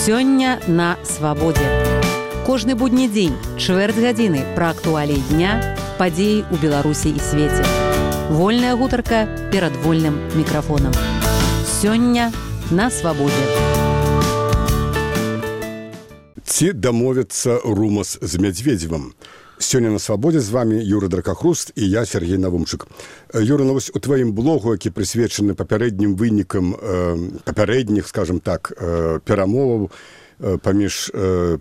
Сёння на свабодзе. Кожны будні дзень, чвэрць гадзіны пра актуаліі дня, падзеі ў Беларусі і свеце. Вольная гутарка перад вольным мікрафонам. Сёння на свабодзе. Ці дамовіцца Румас з Мядзведзевым? Сёння на свабодзе з вами Юра Дракахруст і я, Сергей Навумчык. Юра, ну вось у тваім блогу, які прысвечаны папярэднім вынікам папярэдніх, скажем так, перамоваў паміж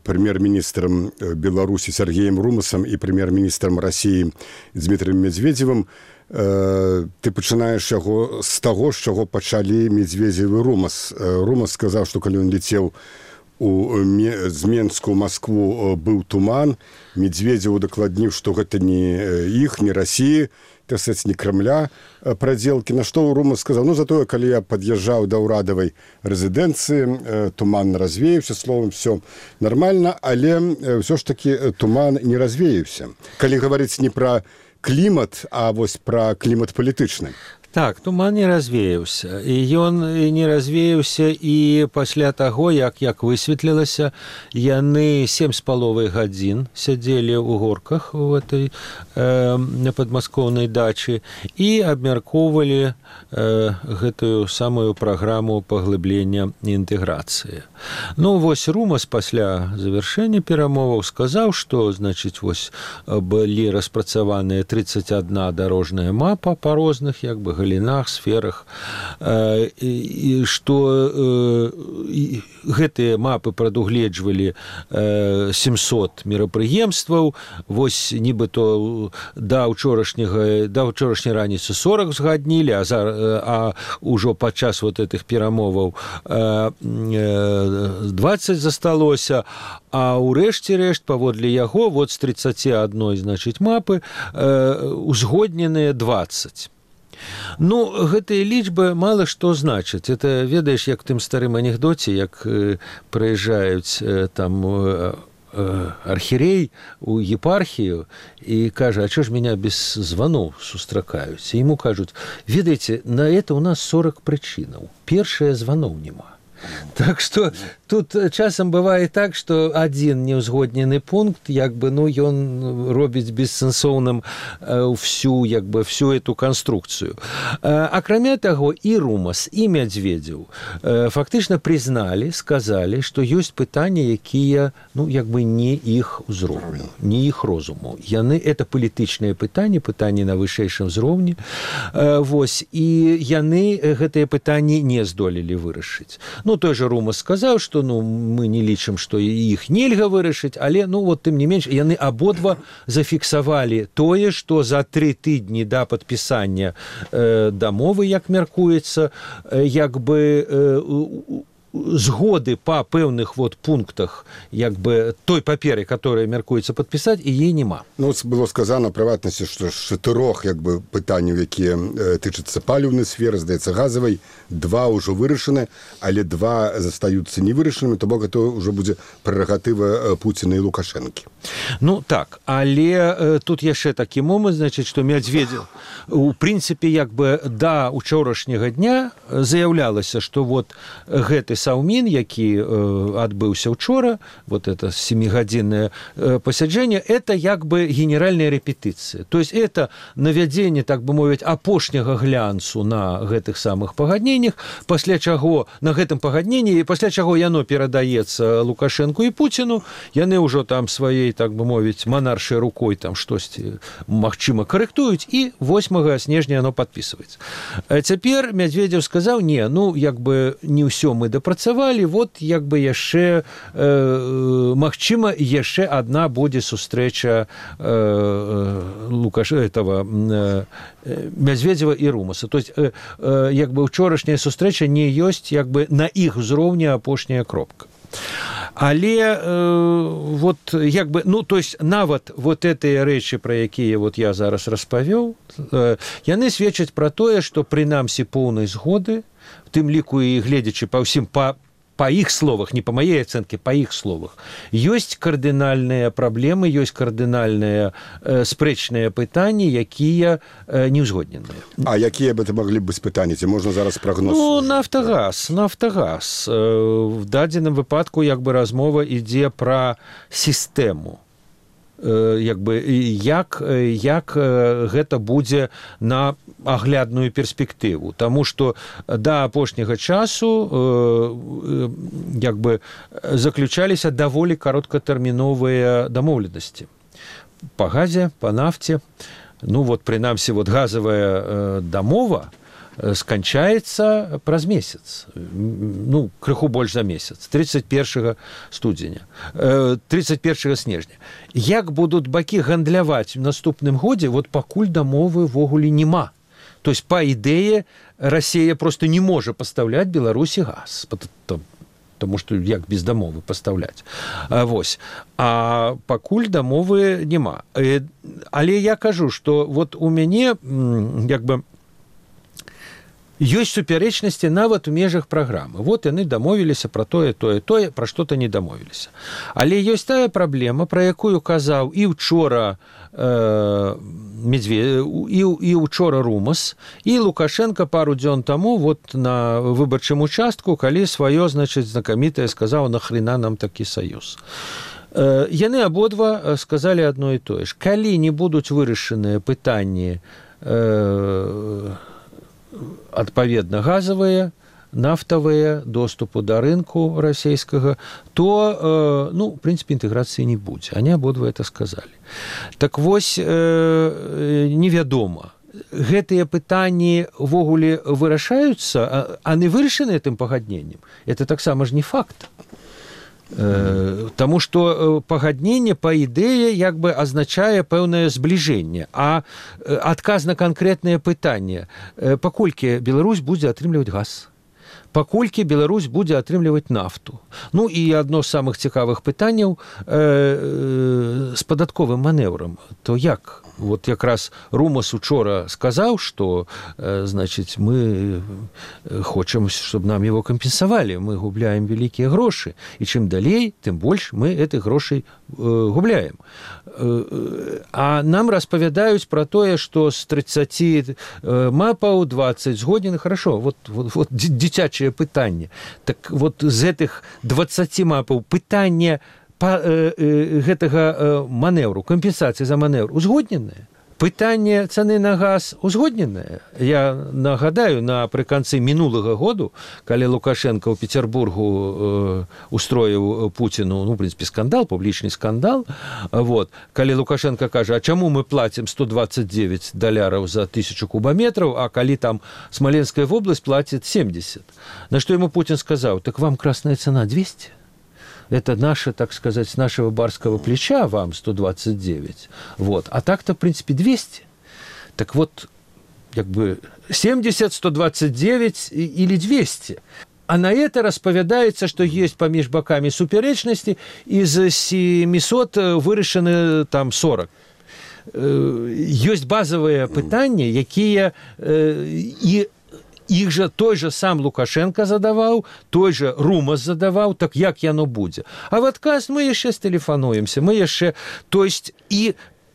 прэм'ер-міністрам Беларусі Сергеем Румасам і прэм'ер-міністрам Расіі Дмітрыем Мядзведзевым, ты пачынаеш яго з таго, з чаго пачалі Мядзведзев і Румас. Румас сказаў, што калі ён лецеў з Менску ў Маскву быў туман, Мядзведзеву дакладніў, што гэта не іх, не Расіі, тасаць не Крамля прадзелкі. На што Румас сказаў, ну затое, калі я пад'язджаў да ўрадавай рэзідэнцыі, туман развеяўся, словам, все нормально, але ўсё ж такі туман не развеяўся. Калі гаварыць не пра клімат, а вось пра клімат палітычны. Так, туман не развеяўся. І ён не развеяўся і пасля таго, як высветлілася, яны 7,5 гадзін сядзелі ў горках у этой падмаскоўнай дачы і абмяркоўвалі гэтую самую праграму паглыблення інтэграцыі. Ну, вось Румас пасля завяршэння перамоваў сказаў, што, значыць, вось былі распрацаваныя 31 дарожная мапа па розных, галінах, сферах, і што гэтыя мапы прадугледжвалі 700 мерапрыемстваў, вось нібыто да ўчорашняй раніцы 40 згаднілі, а ўжо падчас вот этих перамоваў 20 засталося, а ўрэшце рэшт, паводле яго, вот з 31, значыць, мапы узгодненыя 20. Ну, гэтыя лічбы мала што значаць. Это, ведаеш, як тым старым анекдоце, як прыязджаюць там архірей у епархію і кажа, а чё ж меня без званоў сустракаюць? І яму кажуць, ведаеце, на это у нас 40 прычынаў. Першае, званоў няма. Так что тут часам бывае так, што адзін неўзгоднены пункт, ён робіць бессэнсоўным всю эту канструкцыю. Акрамя таго, і Румас, і Мядзведзеў фактычна прызналі, сказалі, што ёсць пытанні, якія, не іх узроўню, не іх розуму. Яны, это палітычныя пытанні на вышэйшым узроўні. Вось, і яны гэтыя пытанні не здолелі вырашыць. Той же Румас сказаў, што мы не лічым, што іх нельга вырашыць, але тым не менш яны абодва зафіксавалі тое, што за 3 тыдні да падпісання дамовы, як мяркуецца, згоды па пэўных пунктах той паперы, которая мяркуецца падпісаць, і ей няма. Было сказано, прыватнасці, што з 4 пытанняў, якія тычацца паліўнай сферы, здаецца, газавай, 2 ўжо вырашаны, але 2 застаюцца невырашанымі, то бок гэта ўжо будзе прэрагатыва Пуціна і Лукашэнкі. Так, але тут яшчэ такі момант, значыць, што Мядзведзеў у прынцыпе да учорашняга дня заяўлялася, што гэты саўмін, які адбыўся учора, это 7-гадзіннае пасяджэнне, это генеральная рэпетыцыя. То есть это навядзенне, так бы мовіць, апошняга глянцу на гэтых самых пагадненнях, пасля чаго на гэтым пагадненні, пасля чаго яно перадаецца Лукашэнку і Пуціну, яны ўжо там сваёй, так бы мовіць, манаршай рукой там штосьці, магчыма, карэктуюць, і 8 снежня яно падпісваецца. Цяпер Мядзведзеў сказаў, не ўсё мы дапрацавалі, яшчэ, магчыма, яшчэ адна будзе сустрэча Мядзведзева і Румаса. То есть, учорашняя сустрэча не ёсць, на іх узроўні апошняя кропка. Але то есть нават гэтыя рэчы, пра якія я зараз распавёў, яны сведчаць пра тое, што прынамсі поўнай згоды, в тым ліку і гледзячы па ўсім по их словах, не по моей оценке, по их словах, есть кардинальные проблемы, есть кардинальные спрэчныя пытанні, якія не ўзгодненыя. А якія бы это могли быть пытанні? Можно зараз прогноз? Ну, Нафтагаз. В дадзеным выпадку як бы размова ідзе пра сістэму. Як гэта будзе на аглядную перспектыву. Таму што да апошняга часу як бы заключаліся даволі кароткатэрміновыя дамоўленасці. Па газе, па нафце. Ну, вот, прынамсі, вот газавая дамова сканчаецца праз месяц. Ну, крыху больш за месяц. 31 снежня. Як будуць бакі гандляваць в наступным годзе, вот пакуль дамовы ввогуле няма. То есть, па ідэе, Расія просто не можа пастаўляць Беларусі газ. Потому что як без дамовы пастаўляць. Вось. А пакуль дамовы няма. Але я кажу, што вот у мяне як бы ёсць супярэчнасці нават у межах праграмы. Вот яны дамовіліся пра тое, пра што-то не дамовіліся. Але ёсць тая праблема, пра якую казаў і ўчора і ўчора Румас, і Лукашенко пару дзён таму вот на выбарчым участку, калі сваё, значыць, знакамітае сказаў, нахрена нам такі саюз. Яны абодва сказалі адно і тое ж. Калі не будуць вырашаныя пытанні адпаведна газавыя, нафтавыя, доступу да рынку расійскага, то, ну, в прынцыпе, інтэграцыі не будзе. Они абодва это сказалі. Так вось, невядома. Гэтыя пытанні ввогуле вырашаюцца, а не вырашаны гэтым пагадненнем. Это таксама ж не факт. Таму што пагадненне па ідэе як бы азначае пэўнае збліжэнне, а адказ на канкрэтнае пытанне, паколькі Беларусь будзе атрымліваць газ, паколькі Беларусь будзе атрымліваць нафту. Ну і адно з самых цікавых пытанняў з падатковым манеўрам. То як? Вот якраз Румас учора сказаў, што, значыць, мы хочам, чтобы нам его кампенсавалі. Мы губляем вялікія грошы. І чым далей, тым больш мы гэтых грошай губляем. А нам распавядаюць пра тое, што з 30 мапаў 20 згоднены. Хорошо, вот дзіцячае пытанне. Так вот з гэтых 20 мапаў пытанне гэтага манеўру, кампенсацыі за манеўр узгодненыя. Пытанне цаны на газ узгодненае. Я нагадаю, напрыканцы мінулага году, калі Лукашенко ў Петербургу устроіў Путіну, ну, в прынцыпе, скандал, публічны скандал, вот, калі Лукашенко кажа, а чаму мы платим $129 за 1000 кубометров, а калі там Смоленская вобласць платит 70. На што ему Путин сказаў, так вам красная цена 200? Это наше, так сказать, с нашего барского плеча вам 129. Вот. А так-то, в принципе, 200. Так вот, как бы 70, 129 или 200. А на это распавядаецца, што есть паміж бакамі супярэчнасці, і з 700 вырашаны там 40. Ёсць базавыя пытанні, якія і іх жа той же сам Лукашенко задаваў, той же Румас задаваў, так як яно будзе. А в адказ мы яшчэ стэлефануемся, мы яшчэ... То есть, і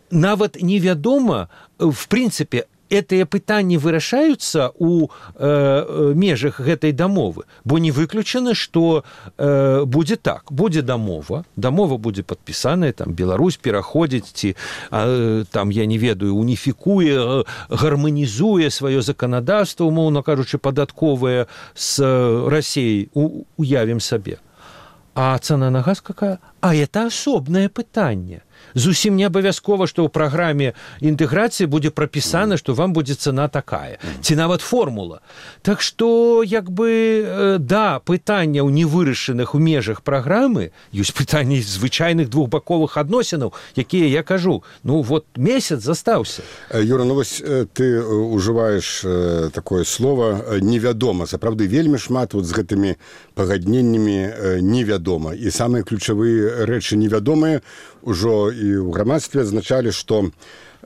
нават невядома, в прынцыпе, гэтыя пытанні вырашаюцца ў межах гэтай дамовы, бо не выключана, што будзе так, будзе дамова будзе падпісаная, там Беларусь пераходзіць ці там, я не ведаю, уніфікуе, гарманізуе сваё заканадаўства, умоўна кажучы, падатковае з Расіяй, уявім сабе. А цана на газ какая? А это асобнае пытанне. Зусім не абавязкова, што ў праграме інтэграцыі будзе прапісана, што вам будзе цана такая. Ці нават формула. Так што, як бы, да, пытанняў невырашаных у межах праграмы, ёсць пытанні звычайных двухбаковых адносінаў, якія, я кажу, ну вот месяц застаўся. Юра, ну вось ты ужываеш такое слово «невядома». Сапраўды, вельмі шмат вот з гэтымі пагадненнямі невядома. І самыя ключавыя рэчы невядомыя ўжо і ў грамадстве адзначалі, што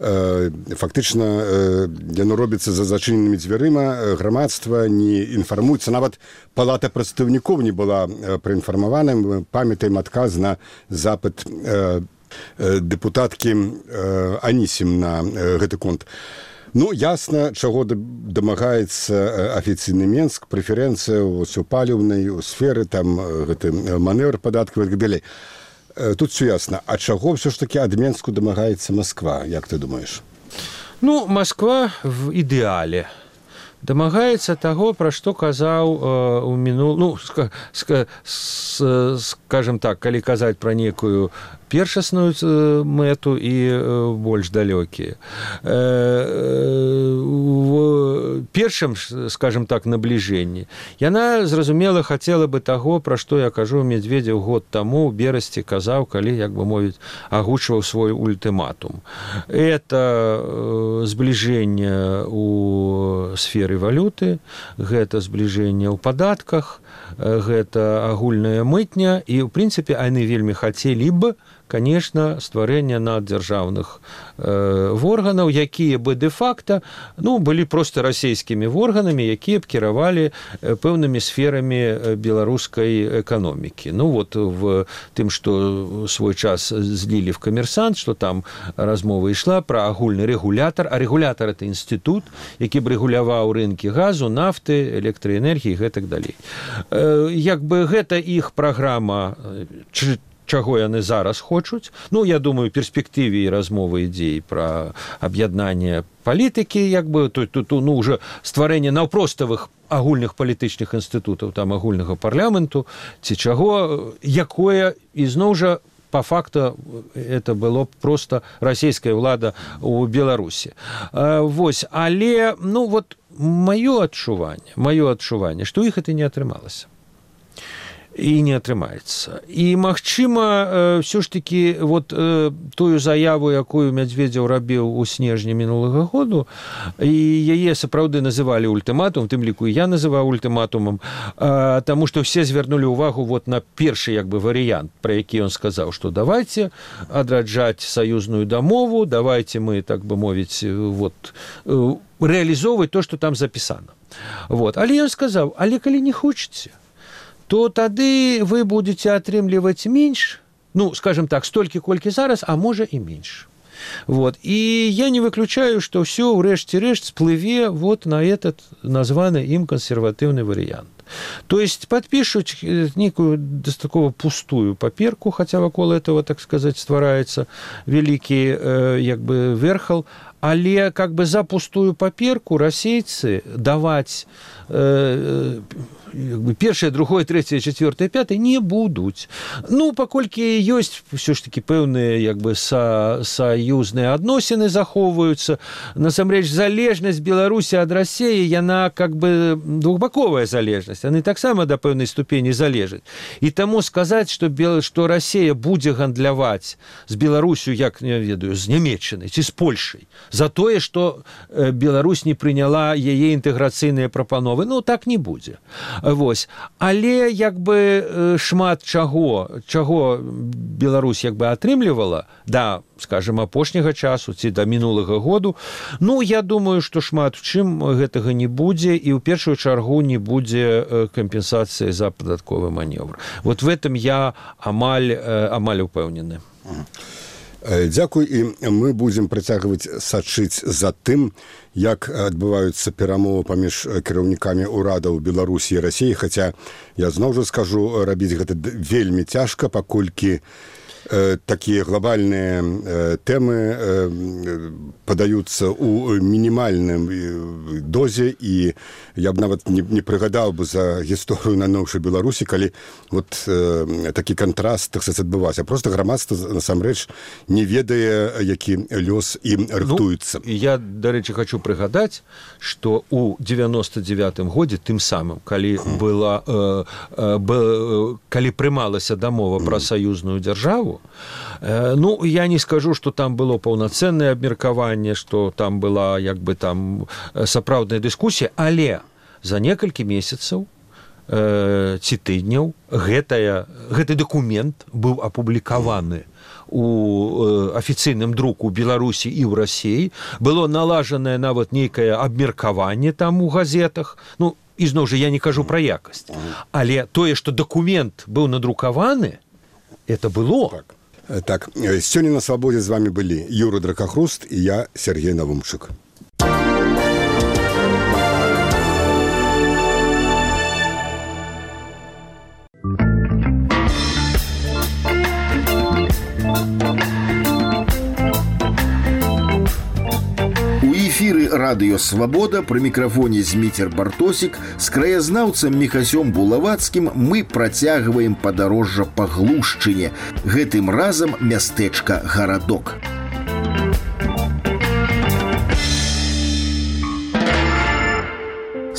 фактычна яно робіцца за зачыненымі дзвярыма, грамадства не інфармуецца, нават палата прадстаўнікоў не была праінфармавана. Мы памятаем адказ на запыт дэпутаткі Анісім на гэты конт. Ну, ясна, чаго дамагаецца афіцыйны Менск, прэферэнцыя у паліўнай сферы, там гэты манеўр падаткавы і так далей. Тут все ясно. А чаго все ж таки ад Менску дамагаецца Москва, як ты думаешь? Ну, Москва в ідэале дамагаецца таго, пра што казаў у мінулым, скажем так, калі казаць пра некую першасную мэту і больш далёкія. В першым, скажем так, набліжэнні яна, зразумела, хацела бы таго, пра што я кажу, Медведзеў год таму ў берасці казаў, калі, як бы мовіць, агучваў свой ультыматум. Это збліжэнне ў сферы валюты, гэта збліжэнне ў падатках, гэта агульная мытня, і, ў прынцыпе, яны вельмі хацелі б, конечно, стварэння наддзяржаўных органаў, якія бы де-факта былі проста расійскімі органамі, якія б кіравалі пэўнымі сферамі беларускай эканомікі. Ну вот в тым, што свой час злілі в «Камерсант», што там размова ішла пра агульны рэгулятар, а рэгулятар — это інстытут, які б рэгуляваў рынкі газу, нафты, электраэнергіі і гэтак далей. Як бы гэта іх праграма, чаго яны зараз хочуць. Ну, я думаю, у перспектыве і размовы ідзей пра аб'яднанне палітыкі, як бы, тут уже стварэнне наўпроставых агульных палітычных інстытутаў, там агульнага парламенту, ці чаго, якое, ізноў жа, по факту это было просто расійская ўлада ў Беларусі. Вось, але, маё адчуванне, што іх это не атрымалася. І не атрымаецца. І, магчыма, ўсё ж такі тую заяву, якую Медведзеў рабіў у снежні мінулага году, і яе сапраўды называлі ультыматум, тым ліку і я называў ультыматумам, таму што все звярнулі ўвагу на першы варыянт, пра які ён сказаў, што давайте адраджаць саюзную дамову, давайте мы, так бы мовіць, рэалізоўваць то, што там запісана. Але ён сказаў, але калі не хочаце, то тады вы будете атрымліваць менш, скажем так, столькі, колькі зараз, а можа і менш. І я не выключаю, што ўсё ўрэшце рэшт сплыве на этот названы ім кансерватыўны варыянт. То есть подпишут некую достаточно пустую паперку, хотя вокруг этого, так сказать, ствараецца великий верхал, але за пустую паперку расейцы даваць першае, другое, трэцяе, чацвёртае, пятае не будуць. Паколькі ёсць ўсё ж такі пэўныя саюзныя адносіны захоўваюцца. Насамрэч, залежнасць Беларусі ад Расіі, яна двухбаковая залежнасць. Яны таксама да пэўнай ступені залежаць. І таму сказаць, што Расія будзе гандляваць з Беларусю, як, не ведаю, з Нямецчынай ці з Польшай, за тое, што Беларусь не прыняла яе інтэграцыйныя прапановы, так не будзе. Але шмат чаго Беларусь атрымлівала да, скажем, апошняга часу ці да мінулага году, я думаю, што шмат у чым гэтага не будзе, і ў першую чаргу не будзе кампенсацыі за падатковы манеўр. В этом я амаль упэўнены. Дзякуй, і мы будзем працягваць сачыць за тым, як адбываюцца перамовы паміж кіраўнікамі ўрадаў Беларусі і Расіі, хаця я зноў жа скажу, рабіць гэта вельмі цяжка, паколькі такія глобальныя тэмы падаюцца ў мінімальным дозе, і я б нават не прыгадаў бы за гісторыю на новшай Беларусі, калі такі кантраст, так сказаць, адбываўся. Просто грамадства насамрэч не ведае, які лёс ім рыхтуецца. Я, дарэчы, хочу прыгадаць, што ў 99-м годзе, тым самым, калі прымалася дамова пра саюзную дзяржаву, я не скажу, што там было паўнацэннае абмеркаванне, што там была сапраўдная дыскусія, але за некалькі месяцаў ці тыдняў гэты дакумент быў апублікаваны у афіцыйным друку ў Беларусі і ў Расіі, было налажанае нават нейкае абмеркаванне там у газетах. Ну, ізноў жа, я не кажу пра якасць. Але тое, што дакумент быў надрукаваны, это было. Так, сёння на свабодзе з вами былі Юра Дракахруст і я, Сергей Навумчык. Радыё «Свабода» пры мікрафоне Зміцер Бартосік з краязнаўцам Міхасём Булавацкім мы працягваем падарожжа па Глушчыне, гэтым разам мястэчка Гарадок.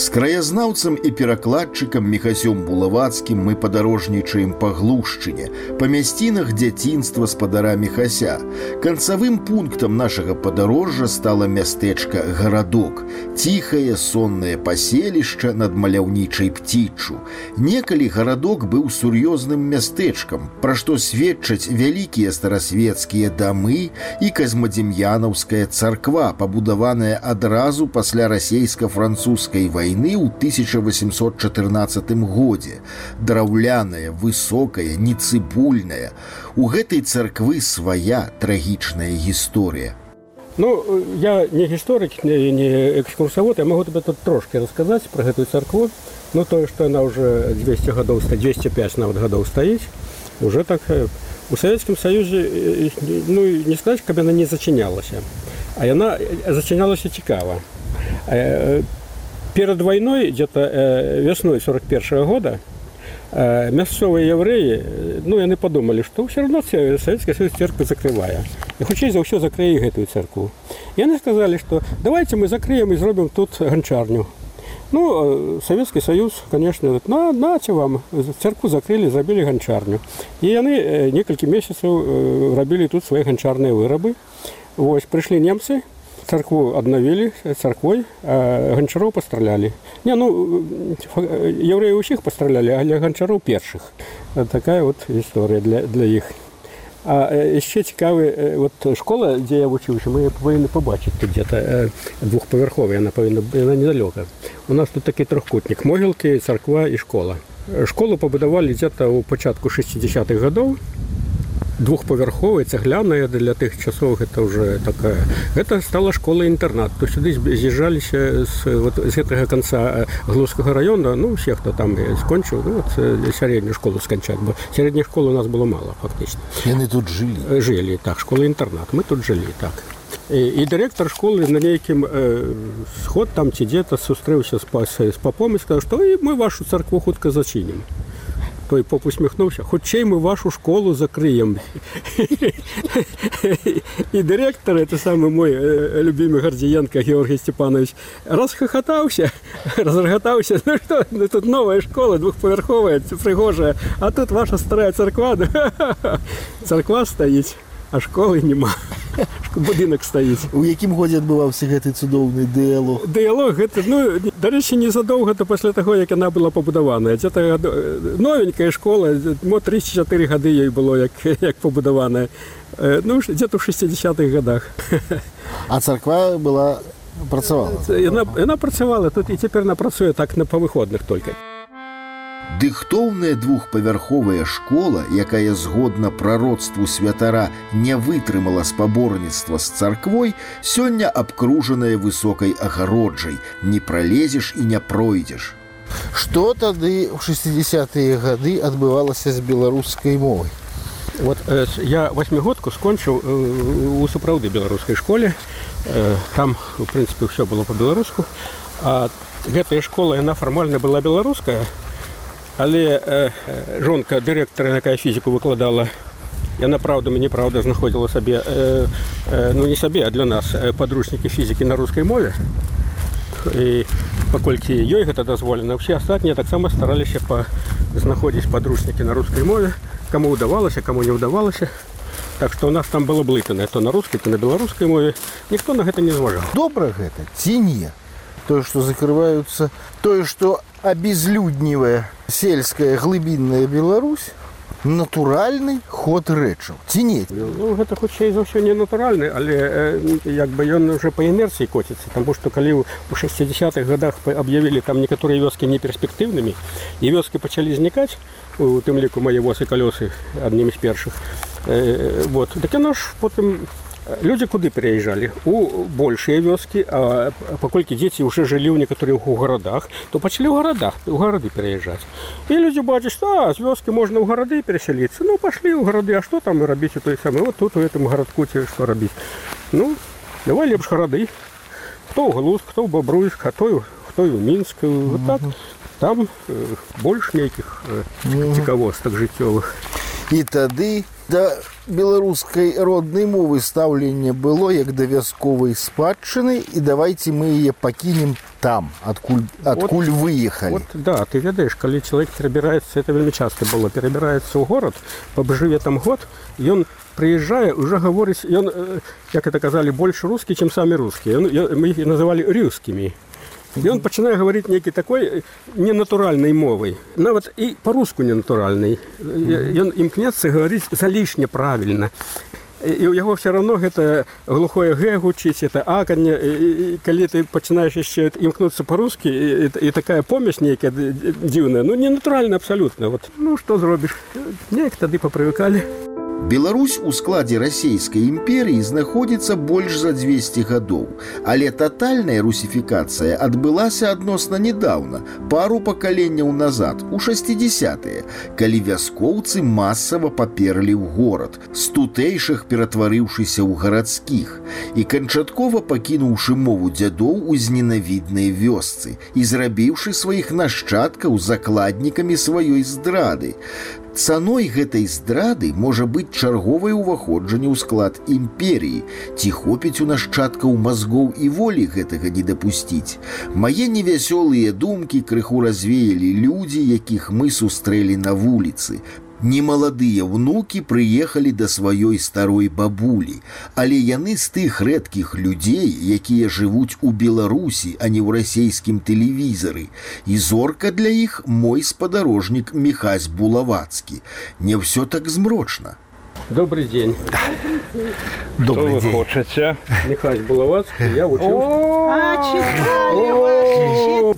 З краязнаўцам і перакладчыкам Міхасём Булавацкім мы падарожнічаем па Глушчыне, па мясцінах дзяцінства спадара Міхася. Канцавым пунктам нашага падарожжа стала мястэчка Гарадок, ціхае соннае паселішча над маляўнічай Пціччу. Некалі Гарадок быў сур'ёзным мястэчкам, пра што сведчаць вялікія старасвецкія дамы і казмадзем'янаўская царква, пабудаваная адразу пасля расейска-французскай вайны ў 1814 годзе. Драўляная, высокая, нецыбульная. У гэтай царквы свая трагічная гісторыя. Ну, я не гісторык, не экскурсавод, я могу тебе тут трошки расказаць пра гэтую царкву. Ну, тое, што яна ўжо 200 гадоў, 205 нават гадоў стаіць, уже так у Савецкім Саюзе, ну, не сказаць, каб яна не зачынялася. А яна зачынялася цікава. Перед войной, где-то весной 41 года, мясцовые евреи, ну, яны подумали, что все равно Советский Союз церковь закрывая. И хутчэй за ўсё закрые гэтую церкву. И они сказали, что давайте мы закроем и сделаем тут гончарню. Ну, Советский Союз, конечно, говорит, нате вам, церкву закрыли, забили гончарню. И они несколько месяцев робили тут свои гончарные вырабы. Вот, пришли немцы, церкву обновили церквой, а гончаров постреляли. Не, ну, евреи усіх постреляли, а гончаров перших. Такая вот история для их. А еще цікавая вот школа, где я учился, мы повинны побачить тут где-то двухповерховая, она недалеко. У нас тут такой трехкутник, могилки, церква и школа. Школу побудовали где-то у початку 60-х годов. Двухповерховая, цегляная для тех часов, это уже такая. Это стала школа-интернат. То сюда съезжались с этого конца Глузского района, ну, все, кто там скончил, ну, вот среднюю школу скончать. Средней школы у нас было мало, фактически. И они тут жили? Жили, так, школа-интернат. Мы тут жили, так. И директор школы на неким сход там где-то сустрелся с попом и сказал, что мы вашу церкву хутко зачиним. Той поп усміхнувся, хочей ми вашу школу закриємо. І директор, це саме мой любимий Гордієнко Георгій Степанович, розреготався, ну що, тут нова школа, двохповерхова, пригожа, а тут ваша стара церква, церква стоїть, а школи нема. Будинок стоїть. У якім годі відбувався гэты цудоўны дыялог? Дыялог, гэта, ну, до речі, незадовго після того, як вона була побудована. Це новенька школа, 3-4 годи їй було, як побудована. Ну, где-то в 60-х годах. А церква була, працювала? Вона працювала, тут і тепер вона працює так по виходних тільки. Дыхтоўная двухпавярховая школа, якая згодна прароцтву святара не вытрымала спаборніцтва з царквой, сёння абкружаная высокай агароджай. Не пролезеш і не пройдзеш. Што тады ў 60-е гады адбывалася з беларускай мовай? Вот я восьмигодку скончил у сапраўды беларускай школе. Там, в принципе, все было по-беларуску. А гэтая школа, яна фармальна была беларуская, але жонка дырэктара, якая фізіку выкладала, яна праўдам і неправда знаходзіла сабе, ну не сабе, а для нас падручнікі фізікі на рускай мове. І паколькі ёй гэта дазволена, ўсе астатнія таксама стараліся знаходзіць падручнікі на рускай мове, каму ўдавалася, каму не ўдавалася. Так што у нас там было блытанае то на рускай, то на беларускай мове. Ніхто на гэта не зважаў. Добра гэта ці не? Тое, што закрываюцца, тое, што обезлюднівая сельская глыбінная Беларусь, натуральны ход рэчаў ці не? Ну, гэта хутчэй за ўсё не натуральны, але як бы ён уже па інерцыі коціцца, таму што калі ў 60-х годах аб'явілі там некаторыя вёскі неперспектыўнымі, і вёскі пачалі знікаць, у тым ліку мае воз і калёсы аднімі з першых. Вот. Так яно ж потым людзі куды пераязджалі? У большыя вёскі, а паколькі дзеці ўжо жылі ў некаторых у гарадах, то пачалі ў гарады пераязджаць. І людзі бачаць, што з вёскі можна ў гарады перасяліцца. Ну, пашлі ў гарады, а што там рабіць у той самы? Вот тут у гэтым гарадку ці што рабіць? Ну, давай лепш гарады. Хто ў Глузк, хто ў Бабруйск, а хто і ў Мінск. Вот так. Там больш нейкіх цікавостак жыццёвых. І тады да беларускай роднай мовы стаўленне было як да вясковай спадчыны, і давайте мы яе пакінем там, адкуль выехалі. Вот, да, ты ведаеш, калі чалавек перабіраецца, это вельмі часта было, перабіраецца ў горад, пабжыве там год, ён прыязджае, уже гаворыць, ён, як это казалі, больш рускі, чым самі рускія. Мы іх называлі рускімі. І он пачынае гаварыць нейкі такой ненатуральнай мовай, нават і па-руску ненатуральнай. Ён імкнецца гаварыць залішне правільна. І ў яго все равно гэта глухое г гучыць, это аканне, і калі ты пачынаеш яшчэ імкнуцца па-рускі, і такая помесь нейкая дзіўная, ну ненатуральна абсалютна. Вот. Ну што зробіш? Неяк тады папрывыкалі. Беларусь у складзе расійскай імперыі знаходзіцца больш за 200 гадоў, але татальная русіфікацыя адбылася адносна нядаўна, пару пакаленняў назад, у 60-е, калі вяскоўцы масава паперлі ў горад, з тутэйшых ператварыўшыся ў гарадскіх, і канчаткова пакінуўшы мову дзядоў у зненавіднай вёсцы і зрабіўшы сваіх нашчадкаў закладнікамі сваёй здрады. Цаной гэтай здрады можа быць чарговае ўваходжанне ў склад імперіі, ці хопіць у нашчадкаў мазгоў і волі гэтага не дапусціць. Мае невясёлыя думкі крыху развеялі людзі, якіх мы сустрэлі на вуліцы. Немаладыя ўнукі прыехалі да сваёй старой бабулі, але яны з тых рэдкіх людзей, якія жывуць у Беларусі, а не ў расейскім тэлевізары. І зорка для іх мой спадарожнік Міхась Булавацкі. Не ўсё так змрочна. Добрый день. Добрый день. Что вы хочете? Михась Булавацкий, я учился.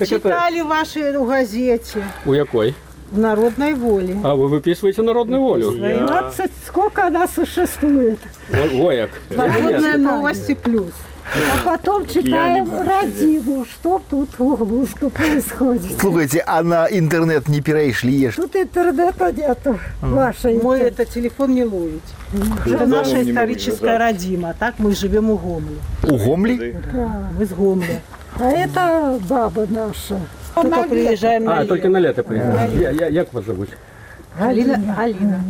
Читали ваши в газете. У якой? В «Народной воле». А вы выписываете «Народную волю»? 12, сколько она существует. Вояк. «Народные новости плюс». А потом читаем «Родину», что тут в Углуску происходит. Слушайте, а на интернет не перешли? Тут интернета нету. Мой это телефон не ловит. Это наша историческая родина. Так мы живем у Гомли. У Гомли? Да, мы с Гомли. А это баба наша. Только приезжаем на лето. Только на лето приезжаем. Як вас зовут? Галина.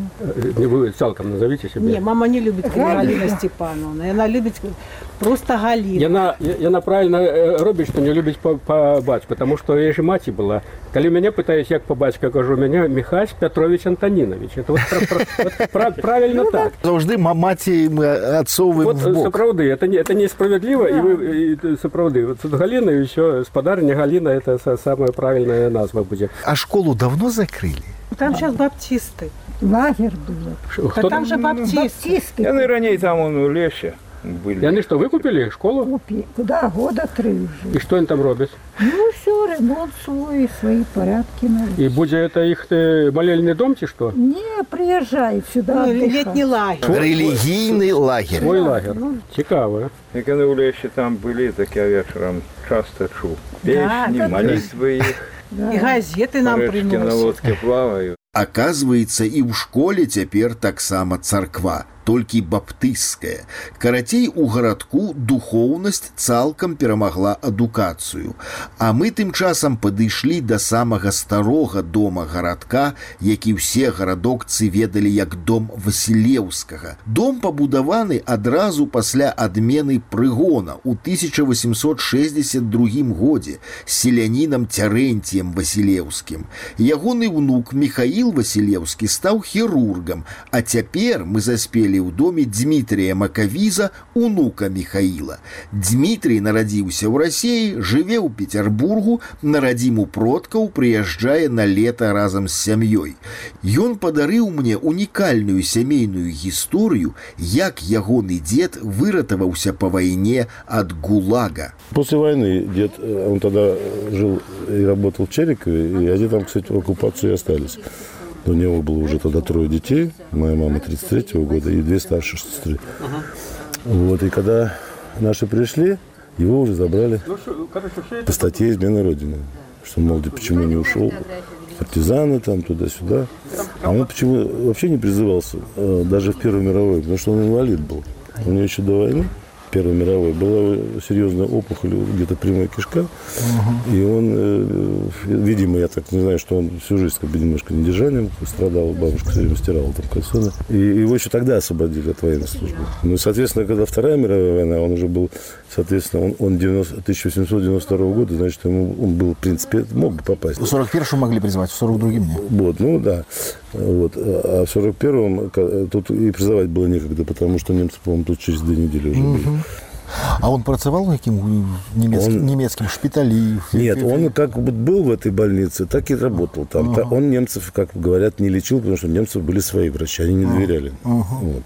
Вы цалком назовите себя. Не, мама не любит Галина Степановна. Она любит просто Галина. Яна правильно робіць, что не любіць по бацьку, потому что я же маці была. Калі мяне пытаюсь, як по бацьку, кажу, меня Михась Петрович Антонинович. Это вот правильно так. Завжди маці мы отцовываем в бок. Сапраўды, это несправедливо. И сапраўды, вот Галина и еще спадарня Галина, это самая правильная назва будет. А школу давно закрыли? Там сейчас баптисты. Лагерь был. А там же баптисты. Яны раней там у лесе были. И они что, выкупили школу? Купи. Куда? Года 3 уже. И что они там робят? Ну все, ремонт свой, свои порядки. И будет это их молельный дом, чи что? Не, приезжай сюда. Летний лагерь. Религийный лагерь. Свой лагерь. Цікаво. Як вони у лесі там були, так я вечором часто чув. Песни, молитвы их. И газеты нам приносят. На лодке плавают. Оказывается, и в школе теперь так само царква, толькі баптысцкая. Карацей, у гарадку духоўнасць цалкам перамагла адукацыю. А мы тым часам падышлі да самага старога дома гарадка, які ўсе гарадокцы ведалі як дом Васілеўскага. Дом пабудаваны адразу пасля адмены прыгона ў 1862 годзе селянінам Цярэнціем Васілеўскім. Ягоны ўнук Міхаіл Васілеўскі стаў хірургам, а цяпер мы заспелі правілі ў доме Дмітрия Макавіза, унука Михаила. Дмітрий нарадзіўся ў Расіі, жыве ў Петербургу, на радзіму продкаў прыязджае на лета разам з сям'ёй. Ён падарыў мне унікальную сямейную гісторыю, як ягоны дед выратаваўся по войне от ГУЛАГа. После войны дед, он тогда жил и работал в Черикове, и они там, кстати, в оккупации остались. У него было уже тогда 3 детей, моя мама 33-го года и 2 старшие сестры. Вот, и когда наши пришли, его уже забрали по статье «Измена Родины». Что, мол, почему не ушел? Партизаны там, туда-сюда. А он почему вообще не призывался, даже в Первую мировую, потому что он инвалид был. У него еще до войны, Первой мировой, была серьезная опухоль, где-то прямая кишка. И он, видимо, я так не знаю, что он всю жизнь как бы немножко недержанием страдал, бабушка все время стирала там кальсоны. И его еще тогда освободили от военной службы. Ну, соответственно, когда Вторая мировая война, он уже был, соответственно, он 1892 года, значит, он был, в принципе, мог бы попасть. В 41-м могли призвать, в 42-м нет. Вот, ну да. Вот. А в 41-м тут и призывать было некогда, потому что немцы, по-моему, тут через 2 недели уже были. А он працевал каким немецким шпитале? Нет, он как был в этой больнице, так и работал там. Он немцев, как говорят, не лечил, потому что у немцев были свои врачи, они не доверяли. Вот.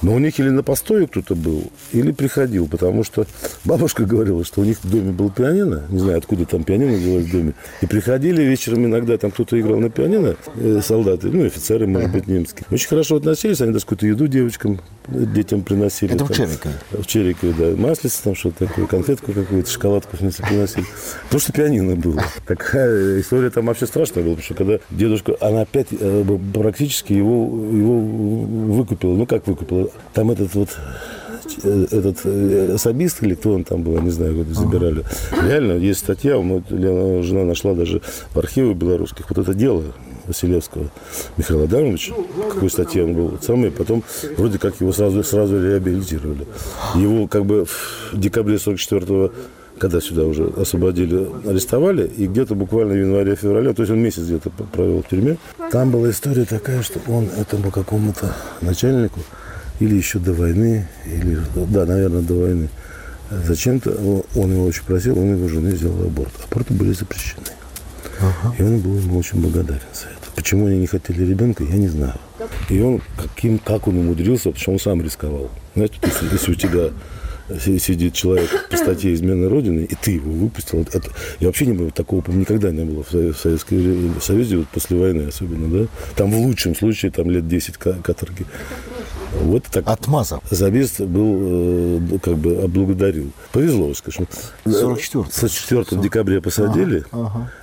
Но у них или на постое кто-то был, или приходил, потому что бабушка говорила, что у них в доме был пианино, не знаю, откуда там пианино взялось в доме, и приходили вечером иногда, там кто-то играл на пианино, солдаты, ну, офицеры, может быть, немские. Очень хорошо относились, они даже какую-то еду девочкам, детям приносили. Это там, в Черикове? В Черикове, да, маслица там что-то такое, конфетку какую-то, шоколадку приносили. Потому что пианино было. Такая история там вообще страшная была, потому что когда дедушка, она опять практически его выкупила, ну, как выкупила? Там этот особист, или кто он там был, я не знаю, его забирали. Реально, есть статья, жена нашла даже в архивах белорусских, вот это дело Василевского Михаила Адамовича, в какой статье он был, потом вроде как его сразу реабилитировали. Его как бы в декабре 44-го, когда сюда уже освободили, арестовали, и где-то буквально в январе-феврале, то есть он месяц где-то провел в тюрьме. Там была история такая, что он этому какому-то начальнику или еще до войны, или, да, наверное, до войны, зачем-то он его очень просил, он его жены сделал аборт. Аборты были запрещены. И он был ему очень благодарен за это. Почему они не хотели ребенка, я не знаю. И он, как он умудрился, потому что он сам рисковал. Знаете, если у тебя сидит человек по статье «Измена Родины», и ты его выпустил. Я вообще не было, такого никогда не было в Союзе, вот после войны особенно, да? Там в лучшем случае там лет 10 каторги. Вот так. Отмазал. Забист был, как бы облагодарил. Повезло, скажем. 44 декабря посадили,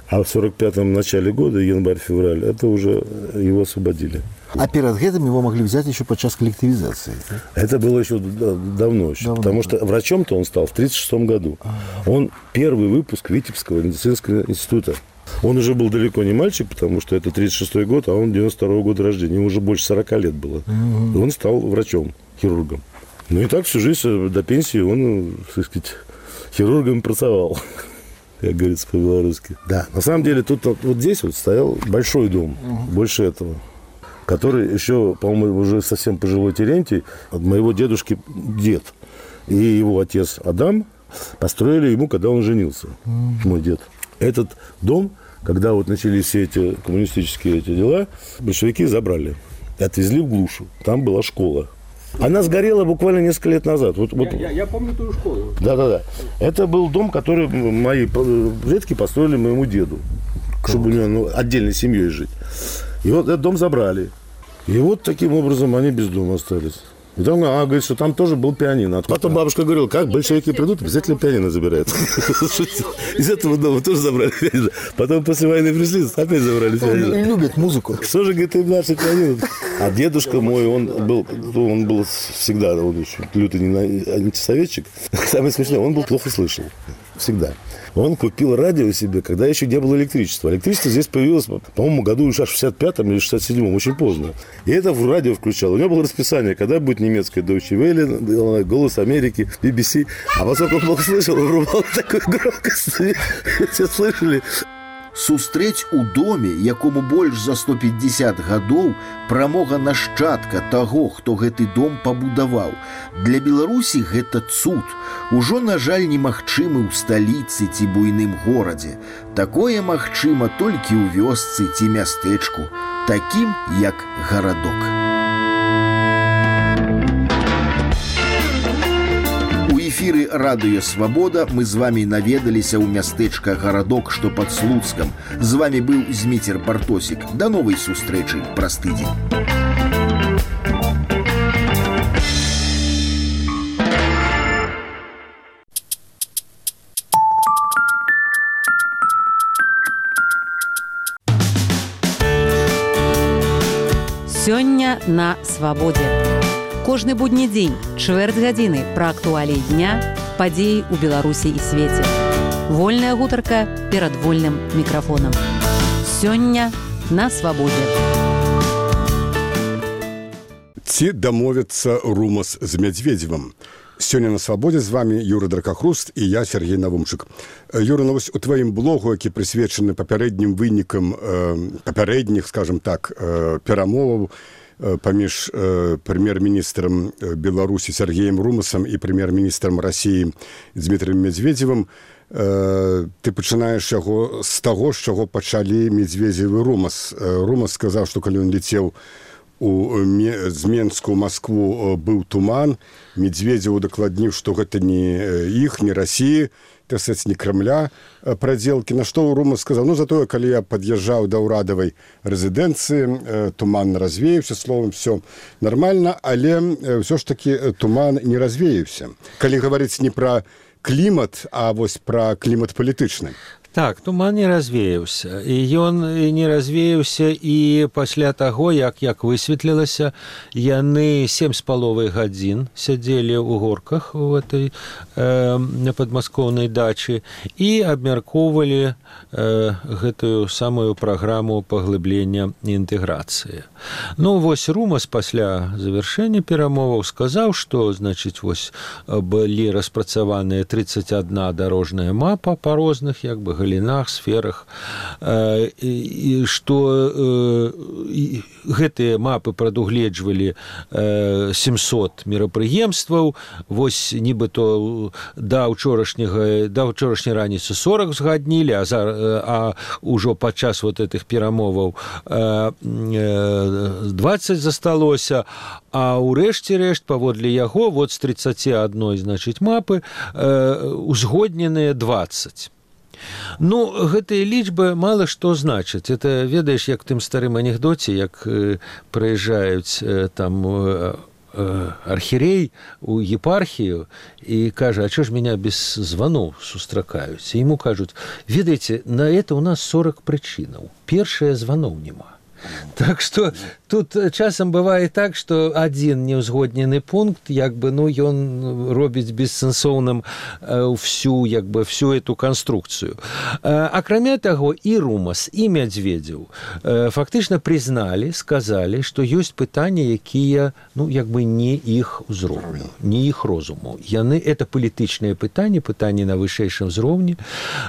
а в 45-м начале года, январь-февраль, это уже его освободили. А перед этим его могли взять еще подчас коллективизации? Это было еще давно. Потому что врачом-то он стал в 1936 году. Он первый выпуск Витебского медицинского института. Он уже был далеко не мальчик, потому что это 1936 год, а он 92 года рождения. Ему уже больше 40 лет было. И он стал врачом, хирургом. Ну и так всю жизнь до пенсии он, так сказать, хирургом pracoвал, как говорится по-белорусски. Да, на самом деле тут вот здесь вот стоял большой дом, больше этого, который еще, по-моему, уже совсем пожилой Терентий, от моего дедушки дед и его отец Адам построили ему, когда он женился, мой дед. Этот дом, когда вот начались все эти коммунистические дела, большевики забрали и отвезли в глушу. Там была школа. Она сгорела буквально несколько лет назад. Я помню ту школу. Да. Это был дом, который мои предки построили моему деду, чтобы у него отдельной семьей жить. И вот этот дом забрали. И вот таким образом они без дома остались. И там, говорит, что там тоже был пианино. Потом бабушка говорила, как большевики придут, обязательно пианино забирают. Из этого дома тоже забрали пианино. Потом после войны пришли, опять забрали пианино. Они любят музыку. Что же, говорит, им наше пианино? А дедушка мой, он был всегда, он очень лютый антисоветчик. Самое смешное, он был плохо слышал. Всегда. Он купил радио себе, когда еще не было электричества. Электричество здесь появилось, по-моему, году в 65-м или 67-м, очень поздно. И это в радио включал. У него было расписание, когда будет немецкая Deutsche Welle, Голос Америки, BBC. А поскольку он плохо слышал, он врубал такую громкость. Все слышали. Сустрэць у доме, якому больш за 150 гадоў, прамога нашчадка таго, хто гэты дом пабудаваў. Для Беларусі гэта цуд. Ужо, на жаль, немагчымы ў сталіцы ці буйным горадзе. Такое магчыма толькі ў вёсцы ці мястэчку, такім як гарадок. У эфіры радыё «Свабода» мы з вамі наведаліся ў мястэчка гарадок, што пад Слуцкам. З вамі быў Зміцер Бартосік. Да новай сустрэчы праз тыдзень. Сёння на свабодзе. Кожны будні дзень, чвэрць гадзіны пра актуаліі дня, падзеі ў Беларусі і свеце. Вольная гутарка перад вольным мікрафонам. Сёння на свабодзе. Ці дамовіцца Румас з Мядзведзевым? Сёння на свабодзе з вами Юры Дракахруст і я, Сергей Навумчык. Юра, ну вось у тваім блогу, які прысвечаны папярэднім вынікам папярэдніх, скажем так, перамоваў паміж прэм'ер-міністрам Беларусі Сергеем Румасам і прэм'ер-міністрам Расіі Дмітрыем Мядзведзевым, ты пачынаеш яго з таго, з чаго пачалі Мядзведзев і Румас. Румас сказаў, што калі ён лецеў з Менску ў Маскву быў туман, Мядзведзеву дакладніў, што гэта не іх, не Расіі, не Кремля проделки, на что Румас сказал, ну, зато, коли я подъезжал до урадовой резиденции, туман развеявся, словом, все нормально, але все ж таки туман не развеявся. Коли говорить не про климат, а вось про климат палітычны. Так, туман не развеяўся. І ён не развеяўся і пасля таго, як высветлілася, яны 7,5 гадзін сядзелі ў горках у этой падмаскоўнай дачы і абмяркоўвалі гэтую самую праграму паглыблення інтэграцыі. Ну, вось Румас пасля завяршэння перамоваў сказаў, што, значыць, вось былі распрацаваныя 31 дарожная мапа па розных, як бы, галінах, сферах, і што гэтыя мапы прадугледжвалі 700 мерапрыемстваў, вось нібыто да ўчорашняй раніцы 40 згаднілі, а ўжо падчас вот этих перамоваў 20 засталося, а ўрэшце рэшт, паводле яго, вот з 31, значыць, мапы узгодненыя 20. Ну, гэтыя лічбы мала што значаць. Это, ведаеш, як тым старым анекдоце, як прыязджаюць там архірей у епархію і кажа, а чё ж меня без званоў сустракаюць? І яму кажуць, ведаеце, на это у нас 40 прычынаў. Першае, званоў няма. Так что тут часам бывае так, што адзін неўзгоднены пункт, як бы, ну, ён робіць бессэнсоўным всю эту канструкцыю. Акрамя таго, і Румас, і Мядзведзеў фактычна прызналі, сказалі, што ёсць пытанні, якія, ну, як бы не іх узроўню, не іх розуму. Яны, это палітычныя пытанні, пытанні на вышэйшым узроўні.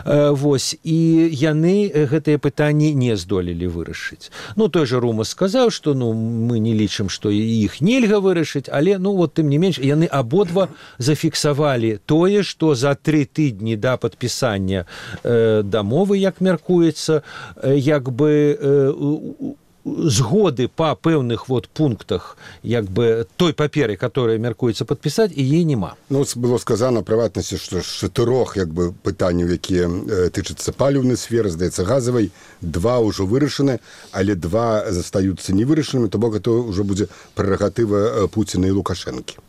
Вось, і яны гэтыя пытанні не здолелі вырашыць. Ну, той же Румас сказаў, што, ну, мы не лічым, што іх нельга вырашыць, але, ну, вот, тым не менш, яны абодва зафіксавалі тое, што за 3 тыдні да падпісання дамовы, як мяркуецца, як бы згоды па пэўных вот пунктах, як бы той паперы, которая мяркуецца падпісаць, і ей няма. Ну, было сказано, прыватнасці, што з 4 як бы пытанняў, якія тычацца паліўнай сферы, здаецца, газавай, 2 ўжо вырашаны, але 2 застаюцца невырашанымі, то бок это ўжо будзе прэрагатыва Пуціна і Лукашэнкі.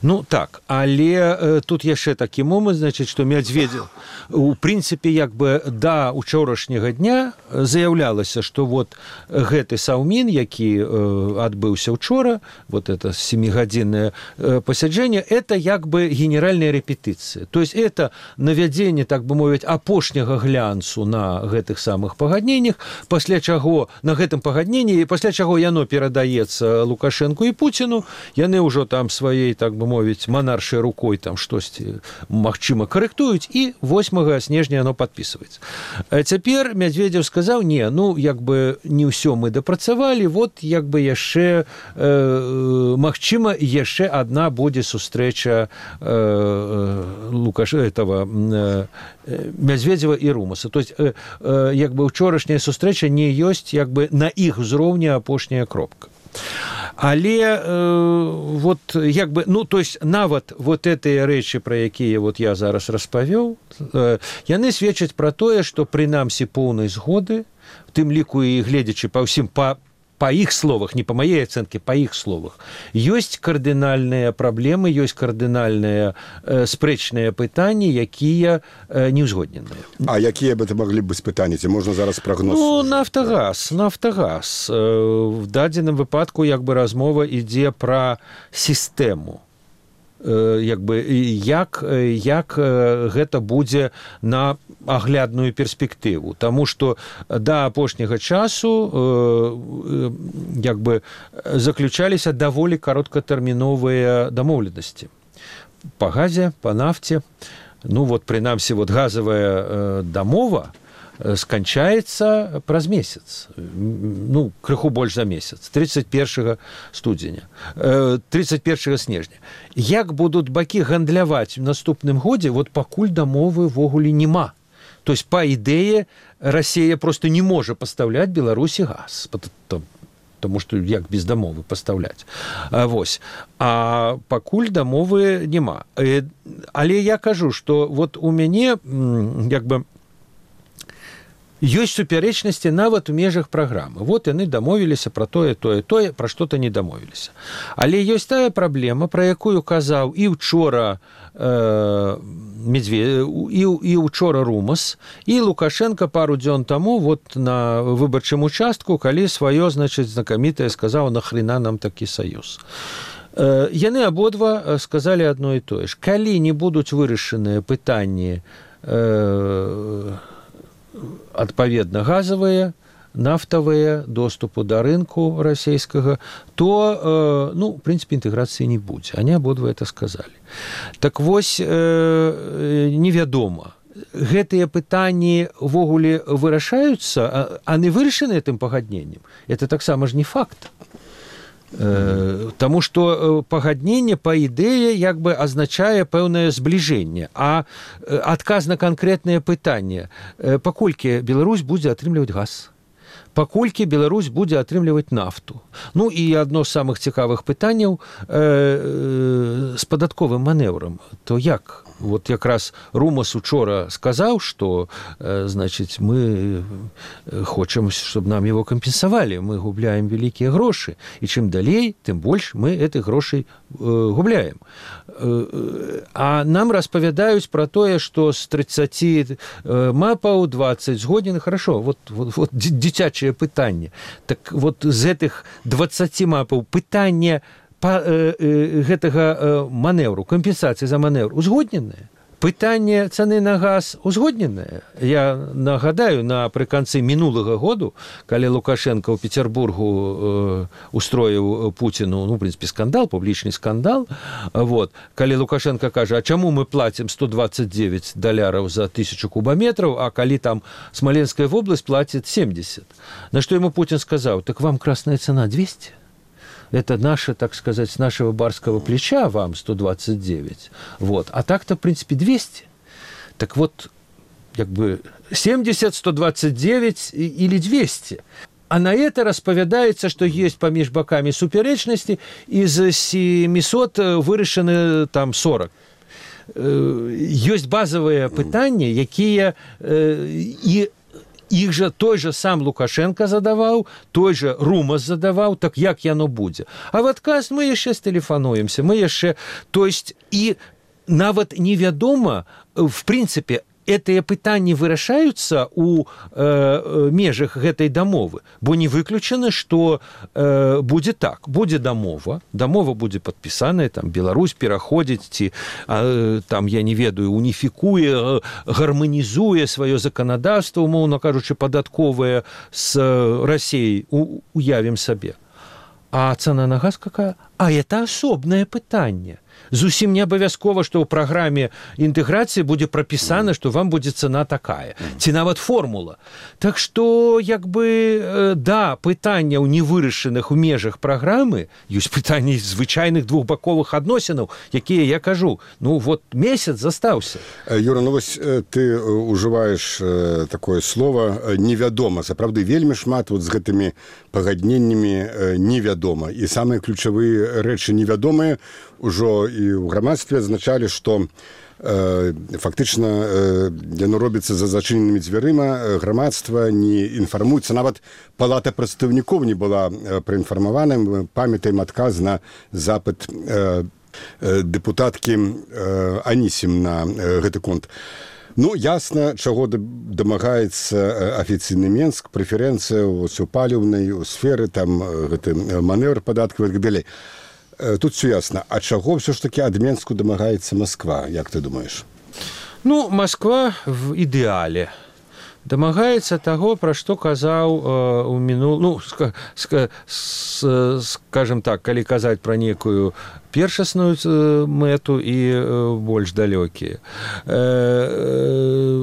Ну, так, але тут яшчэ такі момант, значыць, што Мядзведзеў, у прынцыпе, як бы да учорашняга дня заяўлялася, што вот гэты Саўмін, які адбыўся учора, вот это 7-гадзіннае пасяджэнне, это як бы генеральная рэпетыцыя. То есть это навядзенне, так бы мовіць, апошняга глянцу на гэтых самых пагадненнях, пасля чаго на гэтым пагадненні, пасля чаго яно перадаецца Лукашенку і Пуціну, яны ўжо там сваёй, так бы мовіць, манаршай рукой там штосьці, магчыма, карэктуюць, і 8 снежня яно падпісваецца. Цяпер Медведзеў сказаў: не, ну, як бы не ўсё мы дапрацавалі, вот як бы яшчэ, магчыма, яшчэ адна будзе сустрэча этого Медведзева і Румаса. То есть, як бы учорашняя сустрэча не ёсць як бы на іх узроўні апошняя кропка. Але вот як бы, ну, то есть нават вот гэтыя рэчы, пра якія вот я зараз распавёў, яны сведчаць пра тое, што прынамсі поўнай згоды, в тым ліку і гледзячы па ўсім, па іх словах, не па маей ацэнкі, па іх словах, ёсць кардынальныя праблемы, ёсць кардынальныя спрэчныя пытанні, якія не ўзгодненыя. А якія бы это маглі быць пытанні? Ці можна зараз прагноз? Ну, Нафтагаз. В дадзеным выпадку як бы размова ідзе пра сістэму. Як бы, як гэта будзе на аглядную перспектыву. Таму што да апошняга часу як бы заключаліся даволі кароткатэрміновыя дамоўленасці. Па газе, па нафце. Ну, вот, прынамсі, вот газавая дамова сканчаецца праз месяц, ну, крыху больш за месяц, 31 студзеня, 31 снежня. Як будуць бакі гандляваць в наступным годзе, вот пакуль дамовы ввогуле няма. То есть, па ідэе, Расія просто не можа пастаўляць Беларусі газ, потому што як без дамовы пастаўляць. Вось. А пакуль дамовы няма. Але я кажу, што вот у мяне як бы ёсць супярэчнасці нават у межах праграмы. Вот яны дамовіліся пра тое, пра што-то не дамовіліся. Але ёсць тая праблема, пра якую казаў і ўчора і ўчора Румас, і Лукашенко пару дзён таму вот на выбарчым участку, калі сваё, значыць, знакамітае сказаў: нахрена нам такі саюз. Яны абодва сказалі адно і тое ж. Калі не будуць вырашаныя пытанні адпаведна газавыя, нафтавыя, доступу да рынку расійскага, то, ну, в прынцыпе, інтэграцыі не будзе. Они абодва это сказалі. Так вось, невядома, гэтыя пытанні ввогуле вырашаюцца, а не вырашаны гэтым пагадненнем. Это таксама ж не факт. Таму што пагадненне па ідэе як бы азначае пэўнае збліжэнне, а адказ на канкрэтнае пытанне: паколькі Беларусь будзе атрымліваць газ, паколькі Беларусь будзе атрымліваць нафту. Ну і адно з самых цікавых пытанняў з падатковым манеўрам. То як? Вот якраз Румас учора сказаў, што, значыць, мы хочам, щоб нам его кампенсавалі, мы губляем вялікія грошы, і чым далей, тым больш мы гэтых грошай губляем. А нам распавядаюць пра тое, што з 30 мапаў 20 згоднены. Хорошо, вот дзіцячае пытанне. Так вот з гэтых 20 мапаў пытанне гэтага манеўру, кампенсацыі за манеўр узгодненыя. Пытанне цаны на газ узгодненае. Я нагадаю, напрыканцы мінулага году, калі Лукашенко ў Петербургу устроіў Пуціну, ну, в прынцыпе, скандал, публічны скандал, вот, калі Лукашенко кажа: а чаму мы платим $129 за 1000 кубометров, а калі там Смоленская вобласць платит 70? На што ему Путин сказаў: так вам красная цена 200? Это наше, так сказать, с нашего барского плеча вам 129. Вот. А так-то, в принципе, 200. Так вот, как бы 70, 129 или 200. А на это распавядаецца, што ёсць паміж бакамі супярэчнасці, і з 700 вырашаны там 40. Ёсць базавыя пытанні, якія і іх жа той же сам Лукашенко задаваў, той же Румас задаваў, так як яно будзе. А в адказ мы яшчэ стэлефануемся, мы яшчэ... То есть, і нават невядома, в прынцыпе, гэтыя пытанні вырашаюцца у межах гэтай дамовы, бо не выключана, што будзе так, будзе дамова будзе падпісаная, там Беларусь пераходзіць ці там, я не ведаю, уніфікуе, гарманізуе сваё заканадаўства, умоўна кажучы, падатковае з Расіяй, уявім сабе. А цана на газ какая? А это асобнае пытанне. Зусім не абавязкова, што ў праграме інтэграцыі будзе прапісана, што вам будзе цана такая, ці нават формула. Так што, як бы, да, пытанняў невырашаных у межах праграмы, ёсць пытанні звычайных двухбаковых адносінаў, якія, я кажу, ну, вот месяц застаўся. Юра, ну вось ты ўжываеш такое слово «невядома». Сапраўды, вельмі шмат вот з гэтымі пагадненнямі невядома. І самыя ключавыя рэчы невядомыя ўжо і ў грамадстве азначалі, што фактычна яно робіцца за зачыненымі дзвярыма, грамадства не інфармуецца, нават палата прадстаўнікоў не была праінфармавана. Мы памятаем адказ на запыт дэпутаткі Анісім на гэты конт. Ну, ясна, чаго дамагаецца афіцыйны Менск, прэферэнцыя ў паліўнай сферы, там гэты манеўр падаткавы і так далей. Тут все ясно. А чаго все ж таки ад Менску дамагаецца Москва, як ты думаеш? Ну, Москва в ідэале дамагаецца таго, пра што казаў у мінулым, ну, скажем так, калі казаць пра некую першасную мэту і больш далёкія.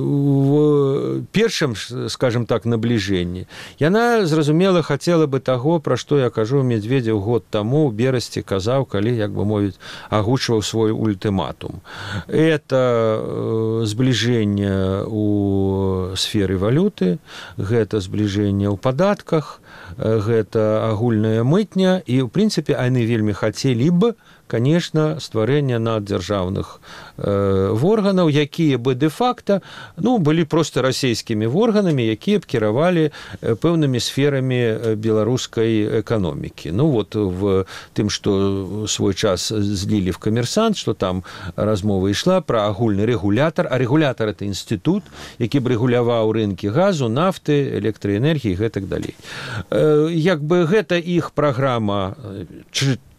В першым, скажем так, набліжэнні яна, зразумела, хацела бы таго, пра што я кажу Медведзеў год таму ў берасці казаў, калі, як бы мовіць, агучваў свой ультыматум. Это збліжэнне ў сферы валюты, гэта збліжэнне ў падатках, гэта агульная мытня, і, ў прынцыпе, яны вельмі хацелі б, конечно, стварэння наддзяржаўных органаў, якія бы дэ-факта, ну, былі проста расійскімі органамі, якія б кіравалі пэўнымі сферамі беларускай эканомікі. Ну, вот в тым, што свой час злілі в «Камерсант», што там размова ішла пра агульны рэгулятар, а рэгулятар – это інстытут, які б рэгуляваў рынкі газу, нафты, электраэнергіі і гэтак далей. Як бы гэта іх праграма,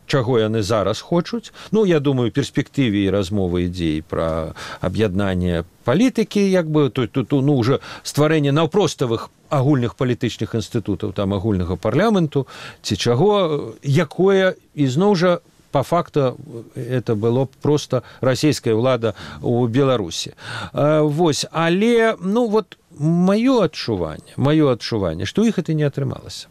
чаго яны зараз хочуць. Ну, я думаю, перспектыве і размовы ідзей пра аб'яднанне палітыкі, як бы, тут, ну, уже стварэнне наўпроставых агульных палітычных інстытутаў, там, агульнага парламенту, ці чаго, якое, ізноў жа, по факту это было просто расійская ўлада ў Беларусі. Вось, але, ну, вот, маё адчуванне, што іх это не атрымалася.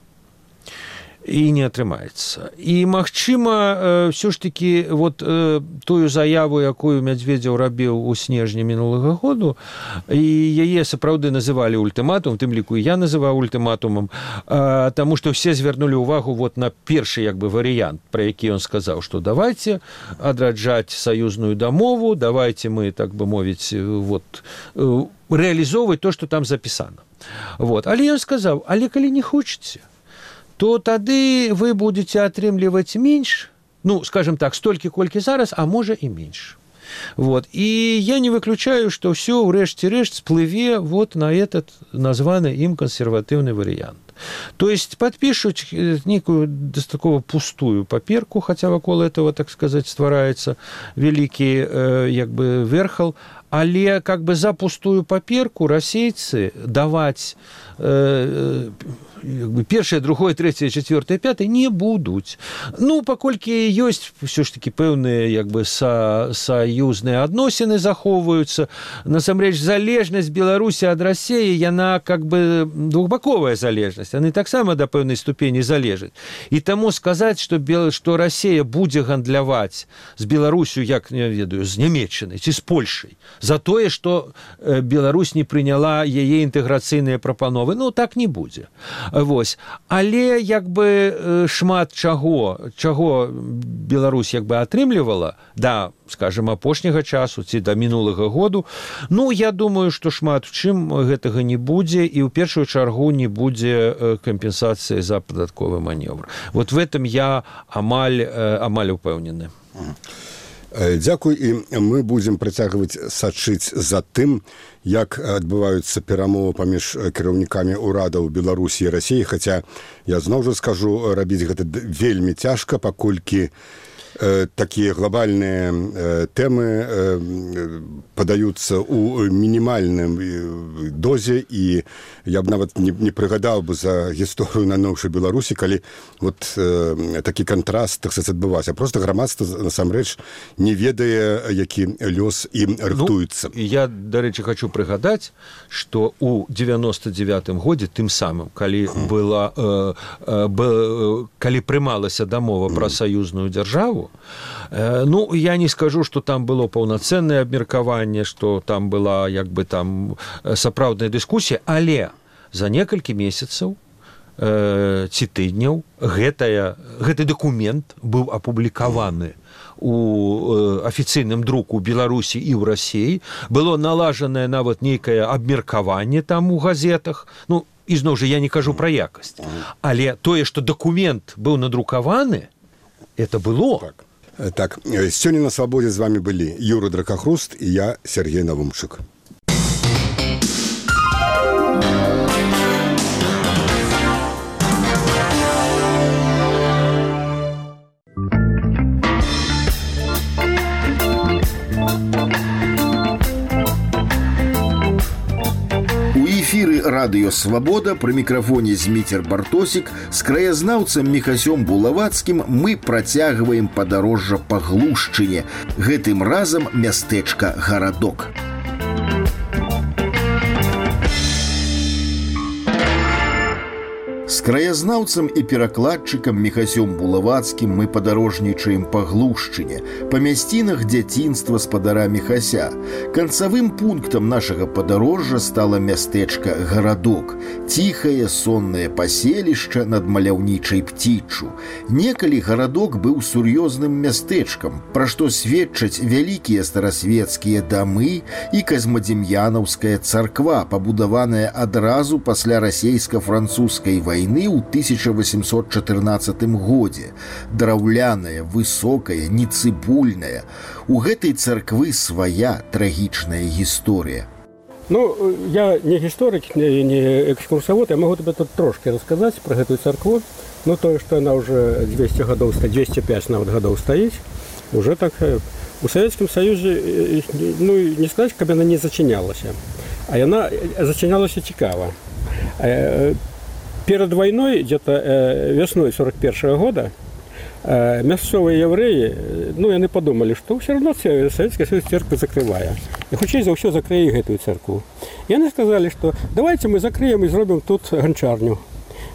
І не атрымаецца. І, магчыма, ўсё ж такі вот тую заяву, якую Медведзеў рабіў у снежні мінулага году, і яе сапраўды называлі ультыматум, тым ліку я называў ультыматумам, таму што ўсе звярнулі ўвагу вот на першы, як бы, варыянт, пра які ён сказаў, што давайте адраджаць саюзную дамову, давайте мы, так бы мовіць, вот, рэалізоўваць то, што там запісана. Вот. Але ён сказаў, але калі не хочаце, то тады вы будете атрымліваць менш, ну, скажем так, столькі, колькі зараз, а можа і менш. Вот. І я не выключаю, што ўсё ў рэшце-рэшт сплыве вот на этот названы ім кансерватыўны варыянт. То есть подпишут некую достаточно пустую паперку, хотя вокруг этого, так сказать, ствараецца великий як бы верхал, але как бы за пустую паперку расейцы даваць першае, другое, трэцяе, чацвёртае, пятае не будуць. Ну, паколькі ёсць ўсё ж такі пэўныя як бы саюзныя адносіны захоўваюцца, насамрэч залежнасць Беларусі ад Расіі, яна как бы двухбаковая залежнасць, яны таксама да пэўнай ступені залежаць. І таму сказаць, што Расія будзе гандляваць з Беларусю, як, не ведаю, з Нямецчынай ці з Польшай, за тое, што Беларусь не прыняла яе інтэграцыйныя прапановы, ну, так не будзе. Вось. Але як бы шмат чаго Беларусь як бы атрымлівала да, скажем, апошняга часу ці да мінулага году, ну, я думаю, што шмат у чым гэтага не будзе і ў першую чаргу не будзе кампенсацыі за падатковы маневр. Вот в этом я амаль упэўнены. Дзякуй, і мы будзем працягваць сачыць за тым, як адбываюцца перамовы паміж кіраўнікамі ўрадаў Беларусі і Расіі, хаця я зноў жа скажу, рабіць гэта вельмі цяжка, паколькі такія глобальныя тэмы падаюцца ў мінімальным дозе, і я б нават не прыгадаў бы за гісторыю на новшай Беларусі, калі вот такі кантраст, так сказаць, адбываўся. Просто грамадства насамрэч не ведае, які лёс ім рыхтуецца. Я, дарэчы, хочу прыгадаць, што ў 99-м годзе, тым самым, калі прымалася дамова пра саюзную дзяржаву, ну, я не скажу, што там было паўнацэннае абмеркаванне, што там была як бы там сапраўдная дыскусія, але за некалькі месяцаў ці тыдняў гэты дакумент быў апублікаваны у афіцыйным друку ў Беларусі і ў Расіі, было налажанае нават нейкае абмеркаванне там у газетах, ну, і зноў жа я не кажу пра якасць, але тое, што дакумент быў надрукаваны, это было. Так, сёння на свабодзе з вами былі Юра Дракахруст і я, Сергей Навумчык. Эфіры радыё «Свабода», пры мікрафоне Зміцер Бартосік, з краязнаўцам Міхасём Булавацкім мы працягваем падарожжа па Глушчыне, гэтым разам мястэчка Гарадок. З краязнаўцам і перакладчыкам Міхасём Булавацкім мы падарожнічаем па Глушчыне, па мясцінах дзяцінства спадара Міхася. Канцавым пунктам нашага падарожжа стала мястэчка Гарадок, ціхае соннае паселішча над маляўнічай Пціччу. Некалі Гарадок быў сур'ёзным мястэчкам, пра што сведчаць вялікія старасвецкія дамы і казмадзем'янаўская царква, пабудаваная адразу пасля расейска-французскай вайны ў 1814 годзе. Драўляная, высокая, нецыбульная. У гэтай царквы свая трагічная гісторыя. Ну, я не гісторык, не экскурсавод, я могу тебе тут трошки расказаць пра гэтую царкву. Ну, тое, што яна ўжо 200 гадоў, 205 нават гадоў стаіць, уже так у Савецкім Саюзе, ну, не сказаць, каб яна не зачынялася. А яна зачынялася цікава. Перед войной, где-то весной 41 года, мясцовые евреи, ну, яны подумали, что все равно Советский Союз церковь закрывая. И хутчэй за ўсё закрые гэтую церкву. И они сказали, что давайте мы закроем и сделаем тут гончарню.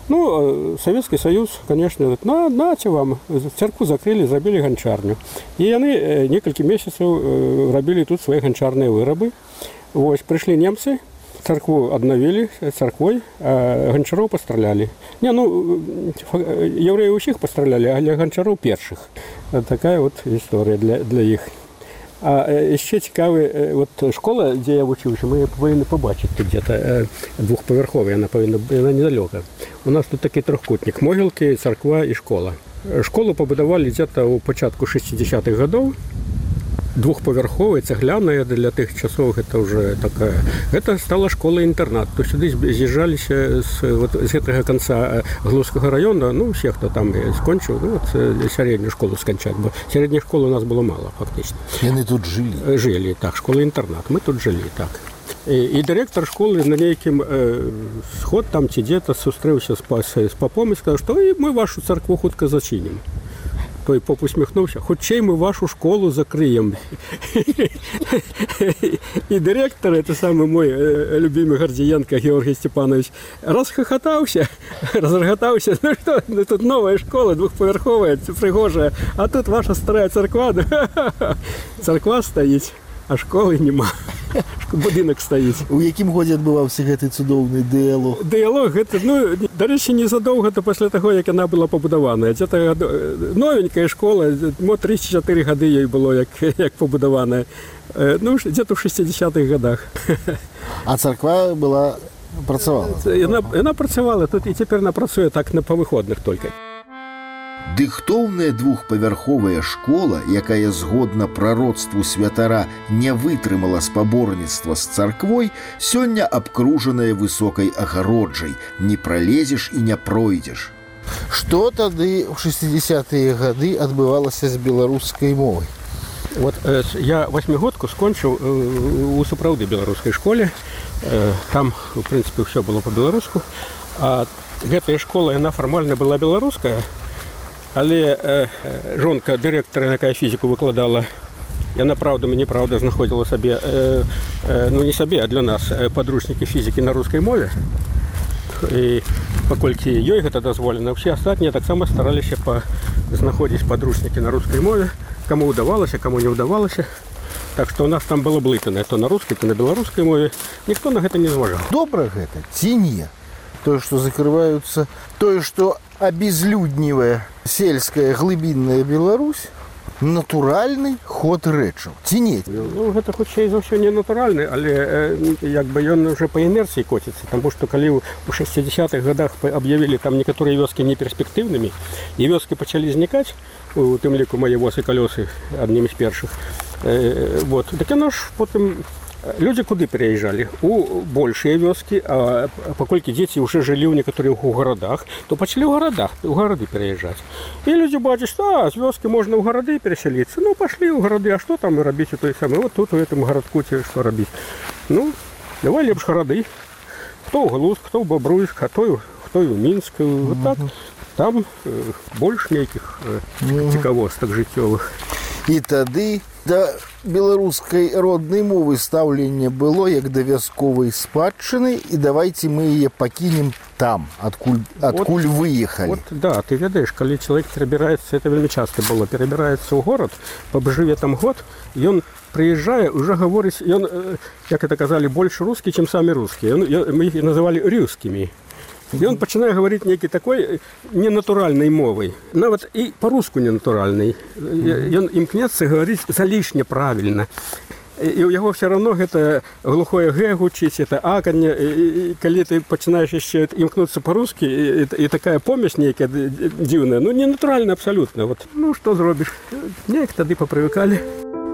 Ну, Советский Союз, конечно, говорит, нате вам, церкву закрыли, забили гончарню. И они несколько месяцев робили тут свои гончарные вырабы. Вот, пришли немцы, церкву обновили церквой, а гончаров постреляли. Не, ну, евреи усіх постреляли, а для гончаров перших. Вот такая вот история для их. А еще цікавая, вот школа, где я учился, мы повинны побачить тут где-то двухповерховая, она недалеко. У нас тут такий трохкутник, могилки, церква и школа. Школу побудовали где-то у початку 60-х годов. Двухповерховая, цегляная, для тых часов это уже такая. Это стала школа-интернат. То сюда з'їжджалися з этого конца Глузского района, ну, все, кто там скончил, ну, вот, среднюю школу скончать. Бо средней школы у нас было мало, фактично. И они тут жили? Жили, так, школа-интернат. Мы тут жили, так. И директор школы на неким сход там ці где-то зустрівся з попом і сказав, що ми вашу церкву хутко зачинимо. Той поп усміхнувся, хутчей ми вашу школу закриємо. І директор, это самый мой любимый Гордієнко Георгий Степанович, розреготався, ну что, тут новая школа, двухповерховая, пригожая, а тут ваша старая церква, церква стоїть. А школи нема. Будинок стоїть. У якім годі відбувався гэты цудоўны дыялог? Дыялог, гэта, ну, до речі, незадовго після того, як вона була побудована. Це новенька школа, 3-4 годи їй було, як побудована. Ну, где-то в 60-х годах. А церква була, працювала? Вона працювала тут, і тепер вона працює так по виходних тільки. Дыхтоўная двухпавярховая школа, якая згодна прароцтву святара не вытрымала спаборніцтва з царквой, сёння абкружаная высокай агароджай. Не пролезеш і не пройдзеш. Што тады ў 60-е гады адбывалася з беларускай мовай? Вот я восьмигодку скончыў у сапраўды беларускай школе. Там, в прынцыпе, ўсё было па-беларуску. А гэтая школа, яна фармальна была беларуская, але жонка дырэктара, якая фізіку выкладала, яна праўдамі неправда знаходзіла сабе, ну не сабе, а для нас падручнікі фізікі на рускай мове. І паколькі ёй гэта дазволена, ўсе астатнія таксама стараліся знаходзіць падручнікі на рускай мове, каму ўдавалася, каму не ўдавалася. Так што у нас там было блытанае то на рускай, то на беларускай мове. Ніхто на гэта не зважаў. Добра гэта ці не? Тое, што закрываюцца, тое, што абезлюднівае сельская глыбінная Беларусь, натуральны ход рэчаў. Ці не? Ну, гэта хутчэй за ўсё не натуральны, але як бы ён уже па інерцыі коціцца, таму што калі ў 60-х годах аб'явілі там некаторыя вёскі неперспектыўнымі, і вёскі пачалі знікаць, у тым ліку мае воз і калёсы аднымі з першых. Вот. Так яно ж потым людзі куды пераязджалі? У большыя вёскі, а паколькі дзеці ўжо жылі ў некаторых у гарадах, то пачалі ў гарады пераязджаць. І людзі бачаць, што з вёскі можна ў гарады перасяліцца. Ну, пашлі ў гарады, а што там рабіць у той самы? Вот тут у гэтым гарадку ці што рабіць? Ну, давай лепш гарады. Хто ў Глузк, хто ў Бабруйск, а хто і ў Мінск. Вот так. Там больш нейкіх цікавостак жыццёвых. І тады да беларускай роднай мовы стаўленне было як да вясковай спадчыны, і давайце мы яе пакінем там, адкуль выехалі. Вот, да, ты ведаеш, калі чалавек перабіраецца, это вельмі часта было, перабіраецца ў горад, пабжыве там год, ён прыязджае, уже гаворыць, ён, як это казалі, больш рускі, чым самі рускія. Мы іх называлі рюскімі. І он пачынае гаварыць нейкай такой ненатуральнай мовай, нават і па-руску ненатуральнай. Ён імкнецца гаварыць залішне правільна. І ў яго ўсё роўно гэта глухое гэ гучыць, это аканне, і калі ты пачынаеш яшчэ імкнуцца па-рускі, і такая помесь нейкая дзіўная, ну ненатуральна абсалютна. Вот. Ну што зробіш? Неяк тады папрывыкалі.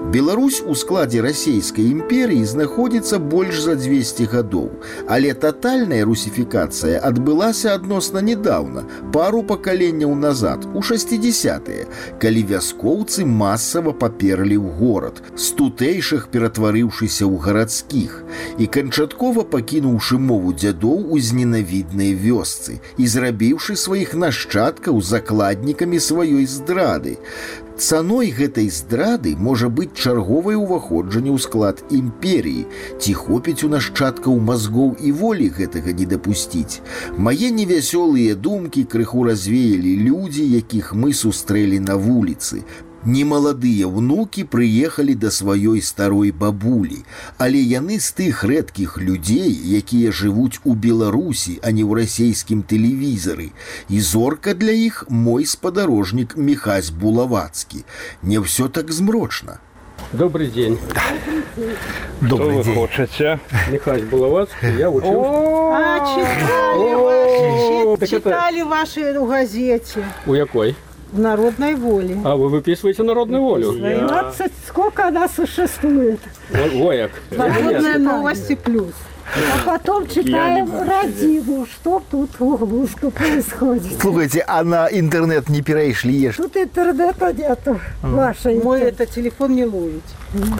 Беларусь у складзе расійскай імперыі знаходзіцца больш за 200 гадоў, але татальная русіфікацыя адбылася адносна нядаўна, пару пакаленняў назад, у 60-е, калі вяскоўцы масава паперлі ў горад, з тутэйшых ператварыўшыся ў гарадскіх, і канчаткова пакінуўшы мову дзядоў у зненавіднай вёсцы і зрабіўшы сваіх нашчадкаў закладнікамі сваёй здрады. Цаной гэтай здрады можа быць чарговае ўваходжанне ў склад імперіі. Ці хопіць у нашчадкаў мазгоў і волі гэтага не дапусціць? Мае невясёлыя думкі крыху развеялі людзі, якіх мы сустрэлі на вуліцы. Немаладыя ўнукі прыехалі да сваёй старой бабулі, але яны з тых рэдкіх людзей, якія жывуць у Беларусі, а не ў расійскім тэлевізары. І зорка для іх мой спадарожнік Міхась Булавацкі. Не ўсё так змрочна. Добрый день. Добрый день. Что вы хочете? Михась Булавацкий, я учился. Читали ваши в газете. У якой? В «Народной воле». А вы выписываете «Народную волю»? 12, сколько она существует? Вояк. «Народные новости плюс». А потом читаем «Родину», что тут в Глузку происходит. Слушайте, а на интернет не перешли? Тут интернета нету. Мой это телефон не ловит.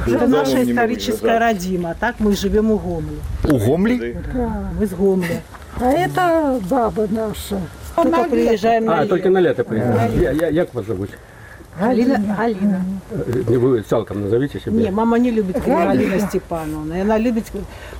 Это наша историческая родима. Так мы живем у Гомля. У Гомли? Да. Мы с Гомля. А это баба наша. Только приезжаем на лето. Только на лето приезжаем. Як вас зовут? Галина. Вы цалком назовите себя. Не, мама не любит Галина Степановна. Она любит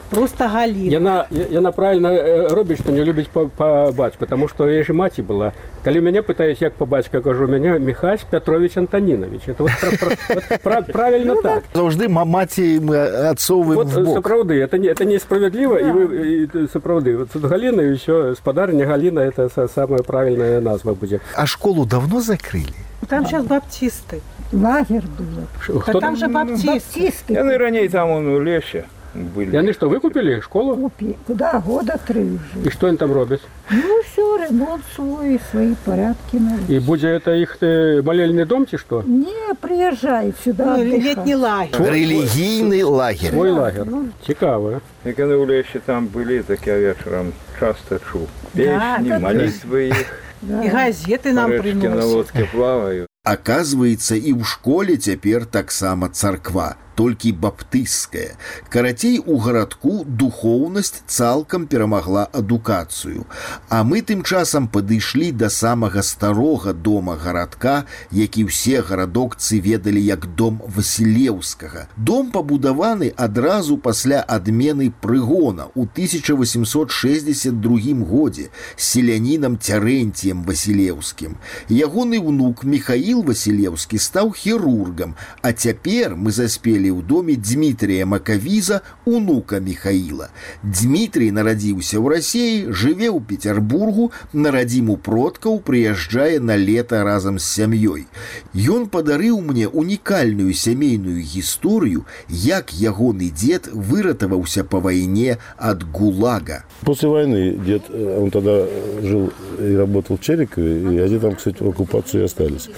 просто Галина. Яна правильно робіць, што не любіць па бацьку, потому что я же маці была. Калі мяне пытаюсь, як па бацька, кажу, мяне Михась Петрович Антонинович. Это вот правильно так. Завжди маці мы отцовым в бок. Сапраўды, это несправедливо, и вы сапраўды. Вот тут Галина и еще спадарня Галина, это самая правильная назва будет. А школу давно закрыли? Там сейчас баптисты. Лагерь был. Там же баптисты. Яны раней там он у лесе. были. И они что, выкупили школу? Купи. Куда? Года 3 уже. И что они там робят? Ну все, ремонт свой, свои порядки. И будет это их молельный дом, чи что? Не, приезжай сюда. Летний лагерь. Религийный лагерь. Свой лагерь. Цікаво. И когда в лесе там были, так я вечером часто чул. Песни, да, молитвы их. И газеты нам Речки на приносят. лодке плавают. Аказваецца, і ў школе цяпер таксама царква, толькі баптысцкая. Карацей, у гарадку духоўнасць цалкам перамагла адукацыю. А мы тым часам падышлі да самага старога дома гарадка, які ўсе гарадокцы ведалі як дом Васілеўскага. Дом пабудаваны адразу пасля адмены прыгона ў 1862 годзе селянінам Цярэнціем Васілеўскім. Ягоны внук Михаил Васілеўскі стаў хірургам, а цяпер мы заспелі ў доме Дмітрия Макавіза, унука Михаила. Дмітрий нарадзіўся ў Расіі, жыве ў Петербургу, на радзіму продкаў прыязджае на лета разам з сям'ёй. Ён падарыў мне унікальную сямейную гісторыю, як ягоны дед выратаваўся па вайне ад ГУЛАГа. После войны дед, он тогда жил и работал в Черикове, и они там, кстати, в оккупации остались.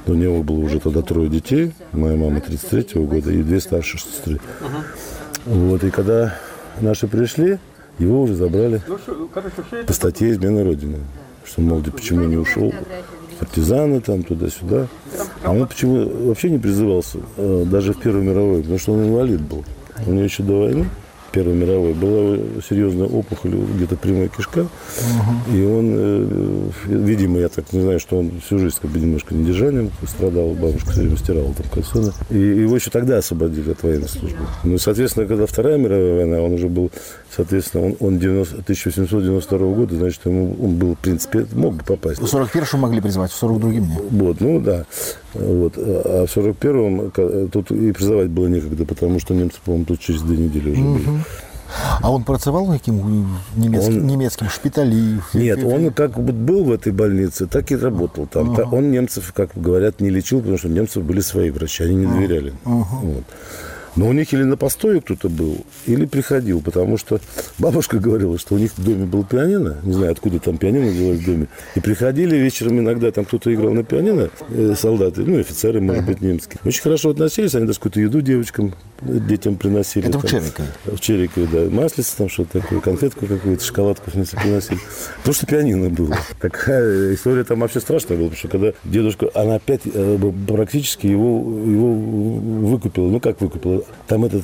У него было уже тогда 3 детей, моя мама 33-го года и 2 старшие сестры. Вот, и когда наши пришли, его уже забрали по статье «Измена Родины». Что, мол, почему не ушел? Партизаны там, туда-сюда. А он почему вообще не призывался, даже в Первую мировую, потому что он инвалид был. У него еще до войны, Первой мировой, была серьезная опухоль, где-то прямая кишка. И он, видимо, я так не знаю, что он всю жизнь как бы немножко недержанием страдал, бабушка все время стирала там кальсоны. И его еще тогда освободили от военной службы. Ну и, соответственно, когда Вторая мировая война, он уже был, соответственно, он 1892 года, значит, он был, в принципе, мог бы попасть. В 41-м могли призвать, в 42-м нет. Вот, ну да. Вот. А в 41-м тут и призывать было некогда, потому что немцы, по-моему, тут через 2 недели уже были. А он працевал в каким немецким шпитале? Нет, он как бы был в этой больнице, так и работал там. Он немцев, как говорят, не лечил, потому что у немцев были свои врачи, они не доверяли. Вот. Но у них или на постое кто-то был, или приходил, потому что бабушка говорила, что у них в доме был пианино, не знаю, откуда там пианино было в доме, и приходили вечером иногда, там кто-то играл на пианино, солдаты, ну, офицеры, может быть, немские. Очень хорошо относились, они даже какую-то еду девочкам, детям приносили. Это там, в Черикове? В Черикове, да. Маслица там что-то такое, конфетку какую-то, шоколадку приносили. Потому что пианино было. Такая история там вообще страшная была, потому что когда дедушка, она опять практически его выкупила. Ну, как выкупила? Там этот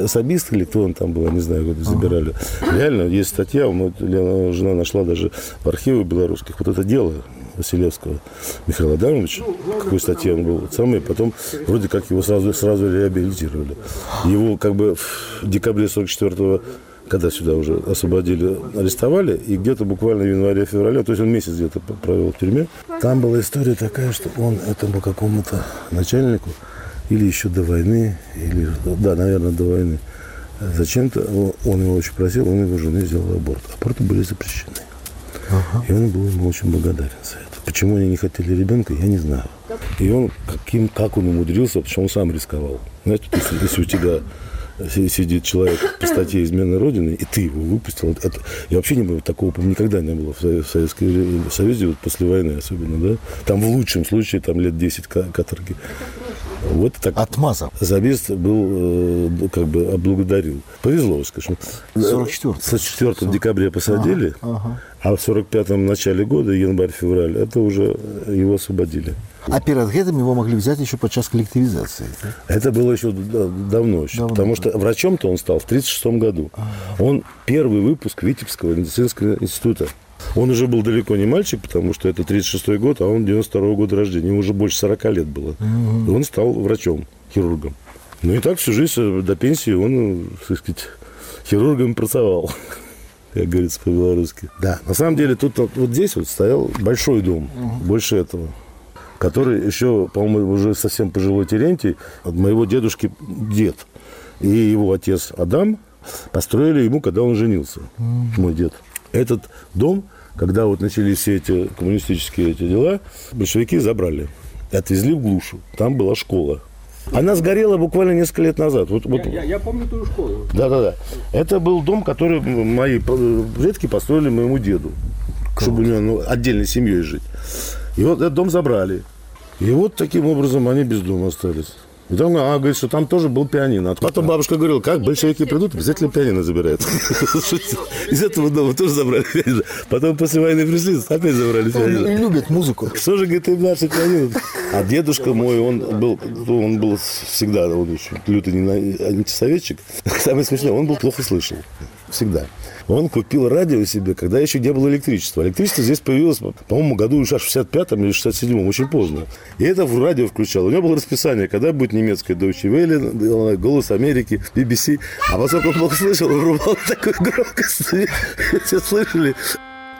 особист или кто он там был, я не знаю, куда забирали. Реально, есть статья, жена нашла даже в архивах белорусских, вот это дело Василевского Михаила Адамовича, какой статье он был, самый, потом вроде как его сразу реабилитировали. Его как бы в декабре 44-го, когда сюда уже освободили, арестовали, и где-то буквально в январе-феврале, то есть он месяц где-то провел в тюрьме. Там была история такая, что он этому какому-то начальнику или еще до войны, или, да, наверное, до войны, зачем-то он его очень просил, он его жене сделал аборт. Аборты были запрещены. И он был ему очень благодарен за это. Почему они не хотели ребенка, я не знаю. И он, как он умудрился, потому что он сам рисковал. Знаете, если у тебя сидит человек по статье «Измена Родины», и ты его выпустил. Это, я вообще не было такого, никогда не было в Советском Союзе, вот после войны особенно, да. Там в лучшем случае там лет 10 каторги. Вот так. Отмазал. Забест был, как бы облагодарил. Повезло, скажем. 44 декабря посадили, а в 45-м начале года, январь-февраль, это уже его освободили. А перед этим его могли взять еще подчас коллективизации? Это было еще давно. Потому что врачом-то он стал в 1936 году. Он первый выпуск Витебского медицинского института. Он уже был далеко не мальчик, потому что это 1936 год, а он 92-го года рождения. Ему уже больше 40 лет было. И он стал врачом, хирургом. Ну и так всю жизнь до пенсии он, так сказать, хирургом pracował. Как говорится по-белорусски. Да, на самом деле тут вот здесь вот стоял большой дом, больше этого, который еще, по-моему, уже совсем пожилой Терентий, от моего дедушки дед и его отец Адам построили ему, когда он женился, мой дед. Этот дом, когда вот начались все эти коммунистические эти дела, большевики забрали и отвезли в глушу. Там была школа. Она сгорела буквально несколько лет назад. Я помню ту школу. Да. Это был дом, который мои предки построили моему деду, чтобы у него отдельной семьей жить. И вот этот дом забрали. И вот таким образом они без дома остались. И там она говорит, что там тоже был пианино. А потом бабушка говорила, как большевики придут, обязательно пианино забирают. Из этого дома тоже забрали пианино. Потом после войны пришли, опять забрали пианино. Любят музыку. Что же, говорит, им наше пианино? А дедушка мой, он был всегда, он очень лютый антисоветчик. Самое смешное, он был плохо слышал. Всегда. Он купил радио себе, когда еще не было электричества. Электричество здесь появилось, по-моему, году в 65-м или 67-м, очень поздно. И это в радио включал. У него было расписание, когда будет немецкое Deutsche Welle, Голос Америки, BBC. А поскольку он плохо слышал, он врубал такую громкость. Все слышали.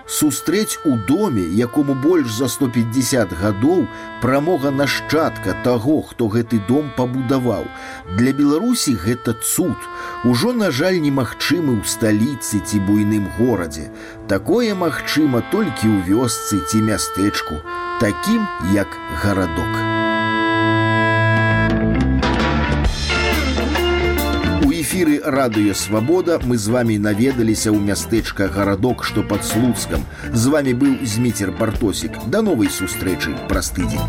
Сустрэць у доме, якому больш за 150 гадоў, прамога нашчадка таго, хто гэты дом пабудаваў. Для Беларусі гэта цуд. Ужо, на жаль, немагчымы ў сталіцы ці буйным горадзе. Такое магчыма толькі ў вёсцы ці мястэчку, такім як гарадок. Эфіры радыё «Свабода» мы з вами наведаліся ў мястэчка гарадок, што пад Слуцкам. З вами быў Зміцер Бартосік. Да новай сустрэчы праз тыдзень.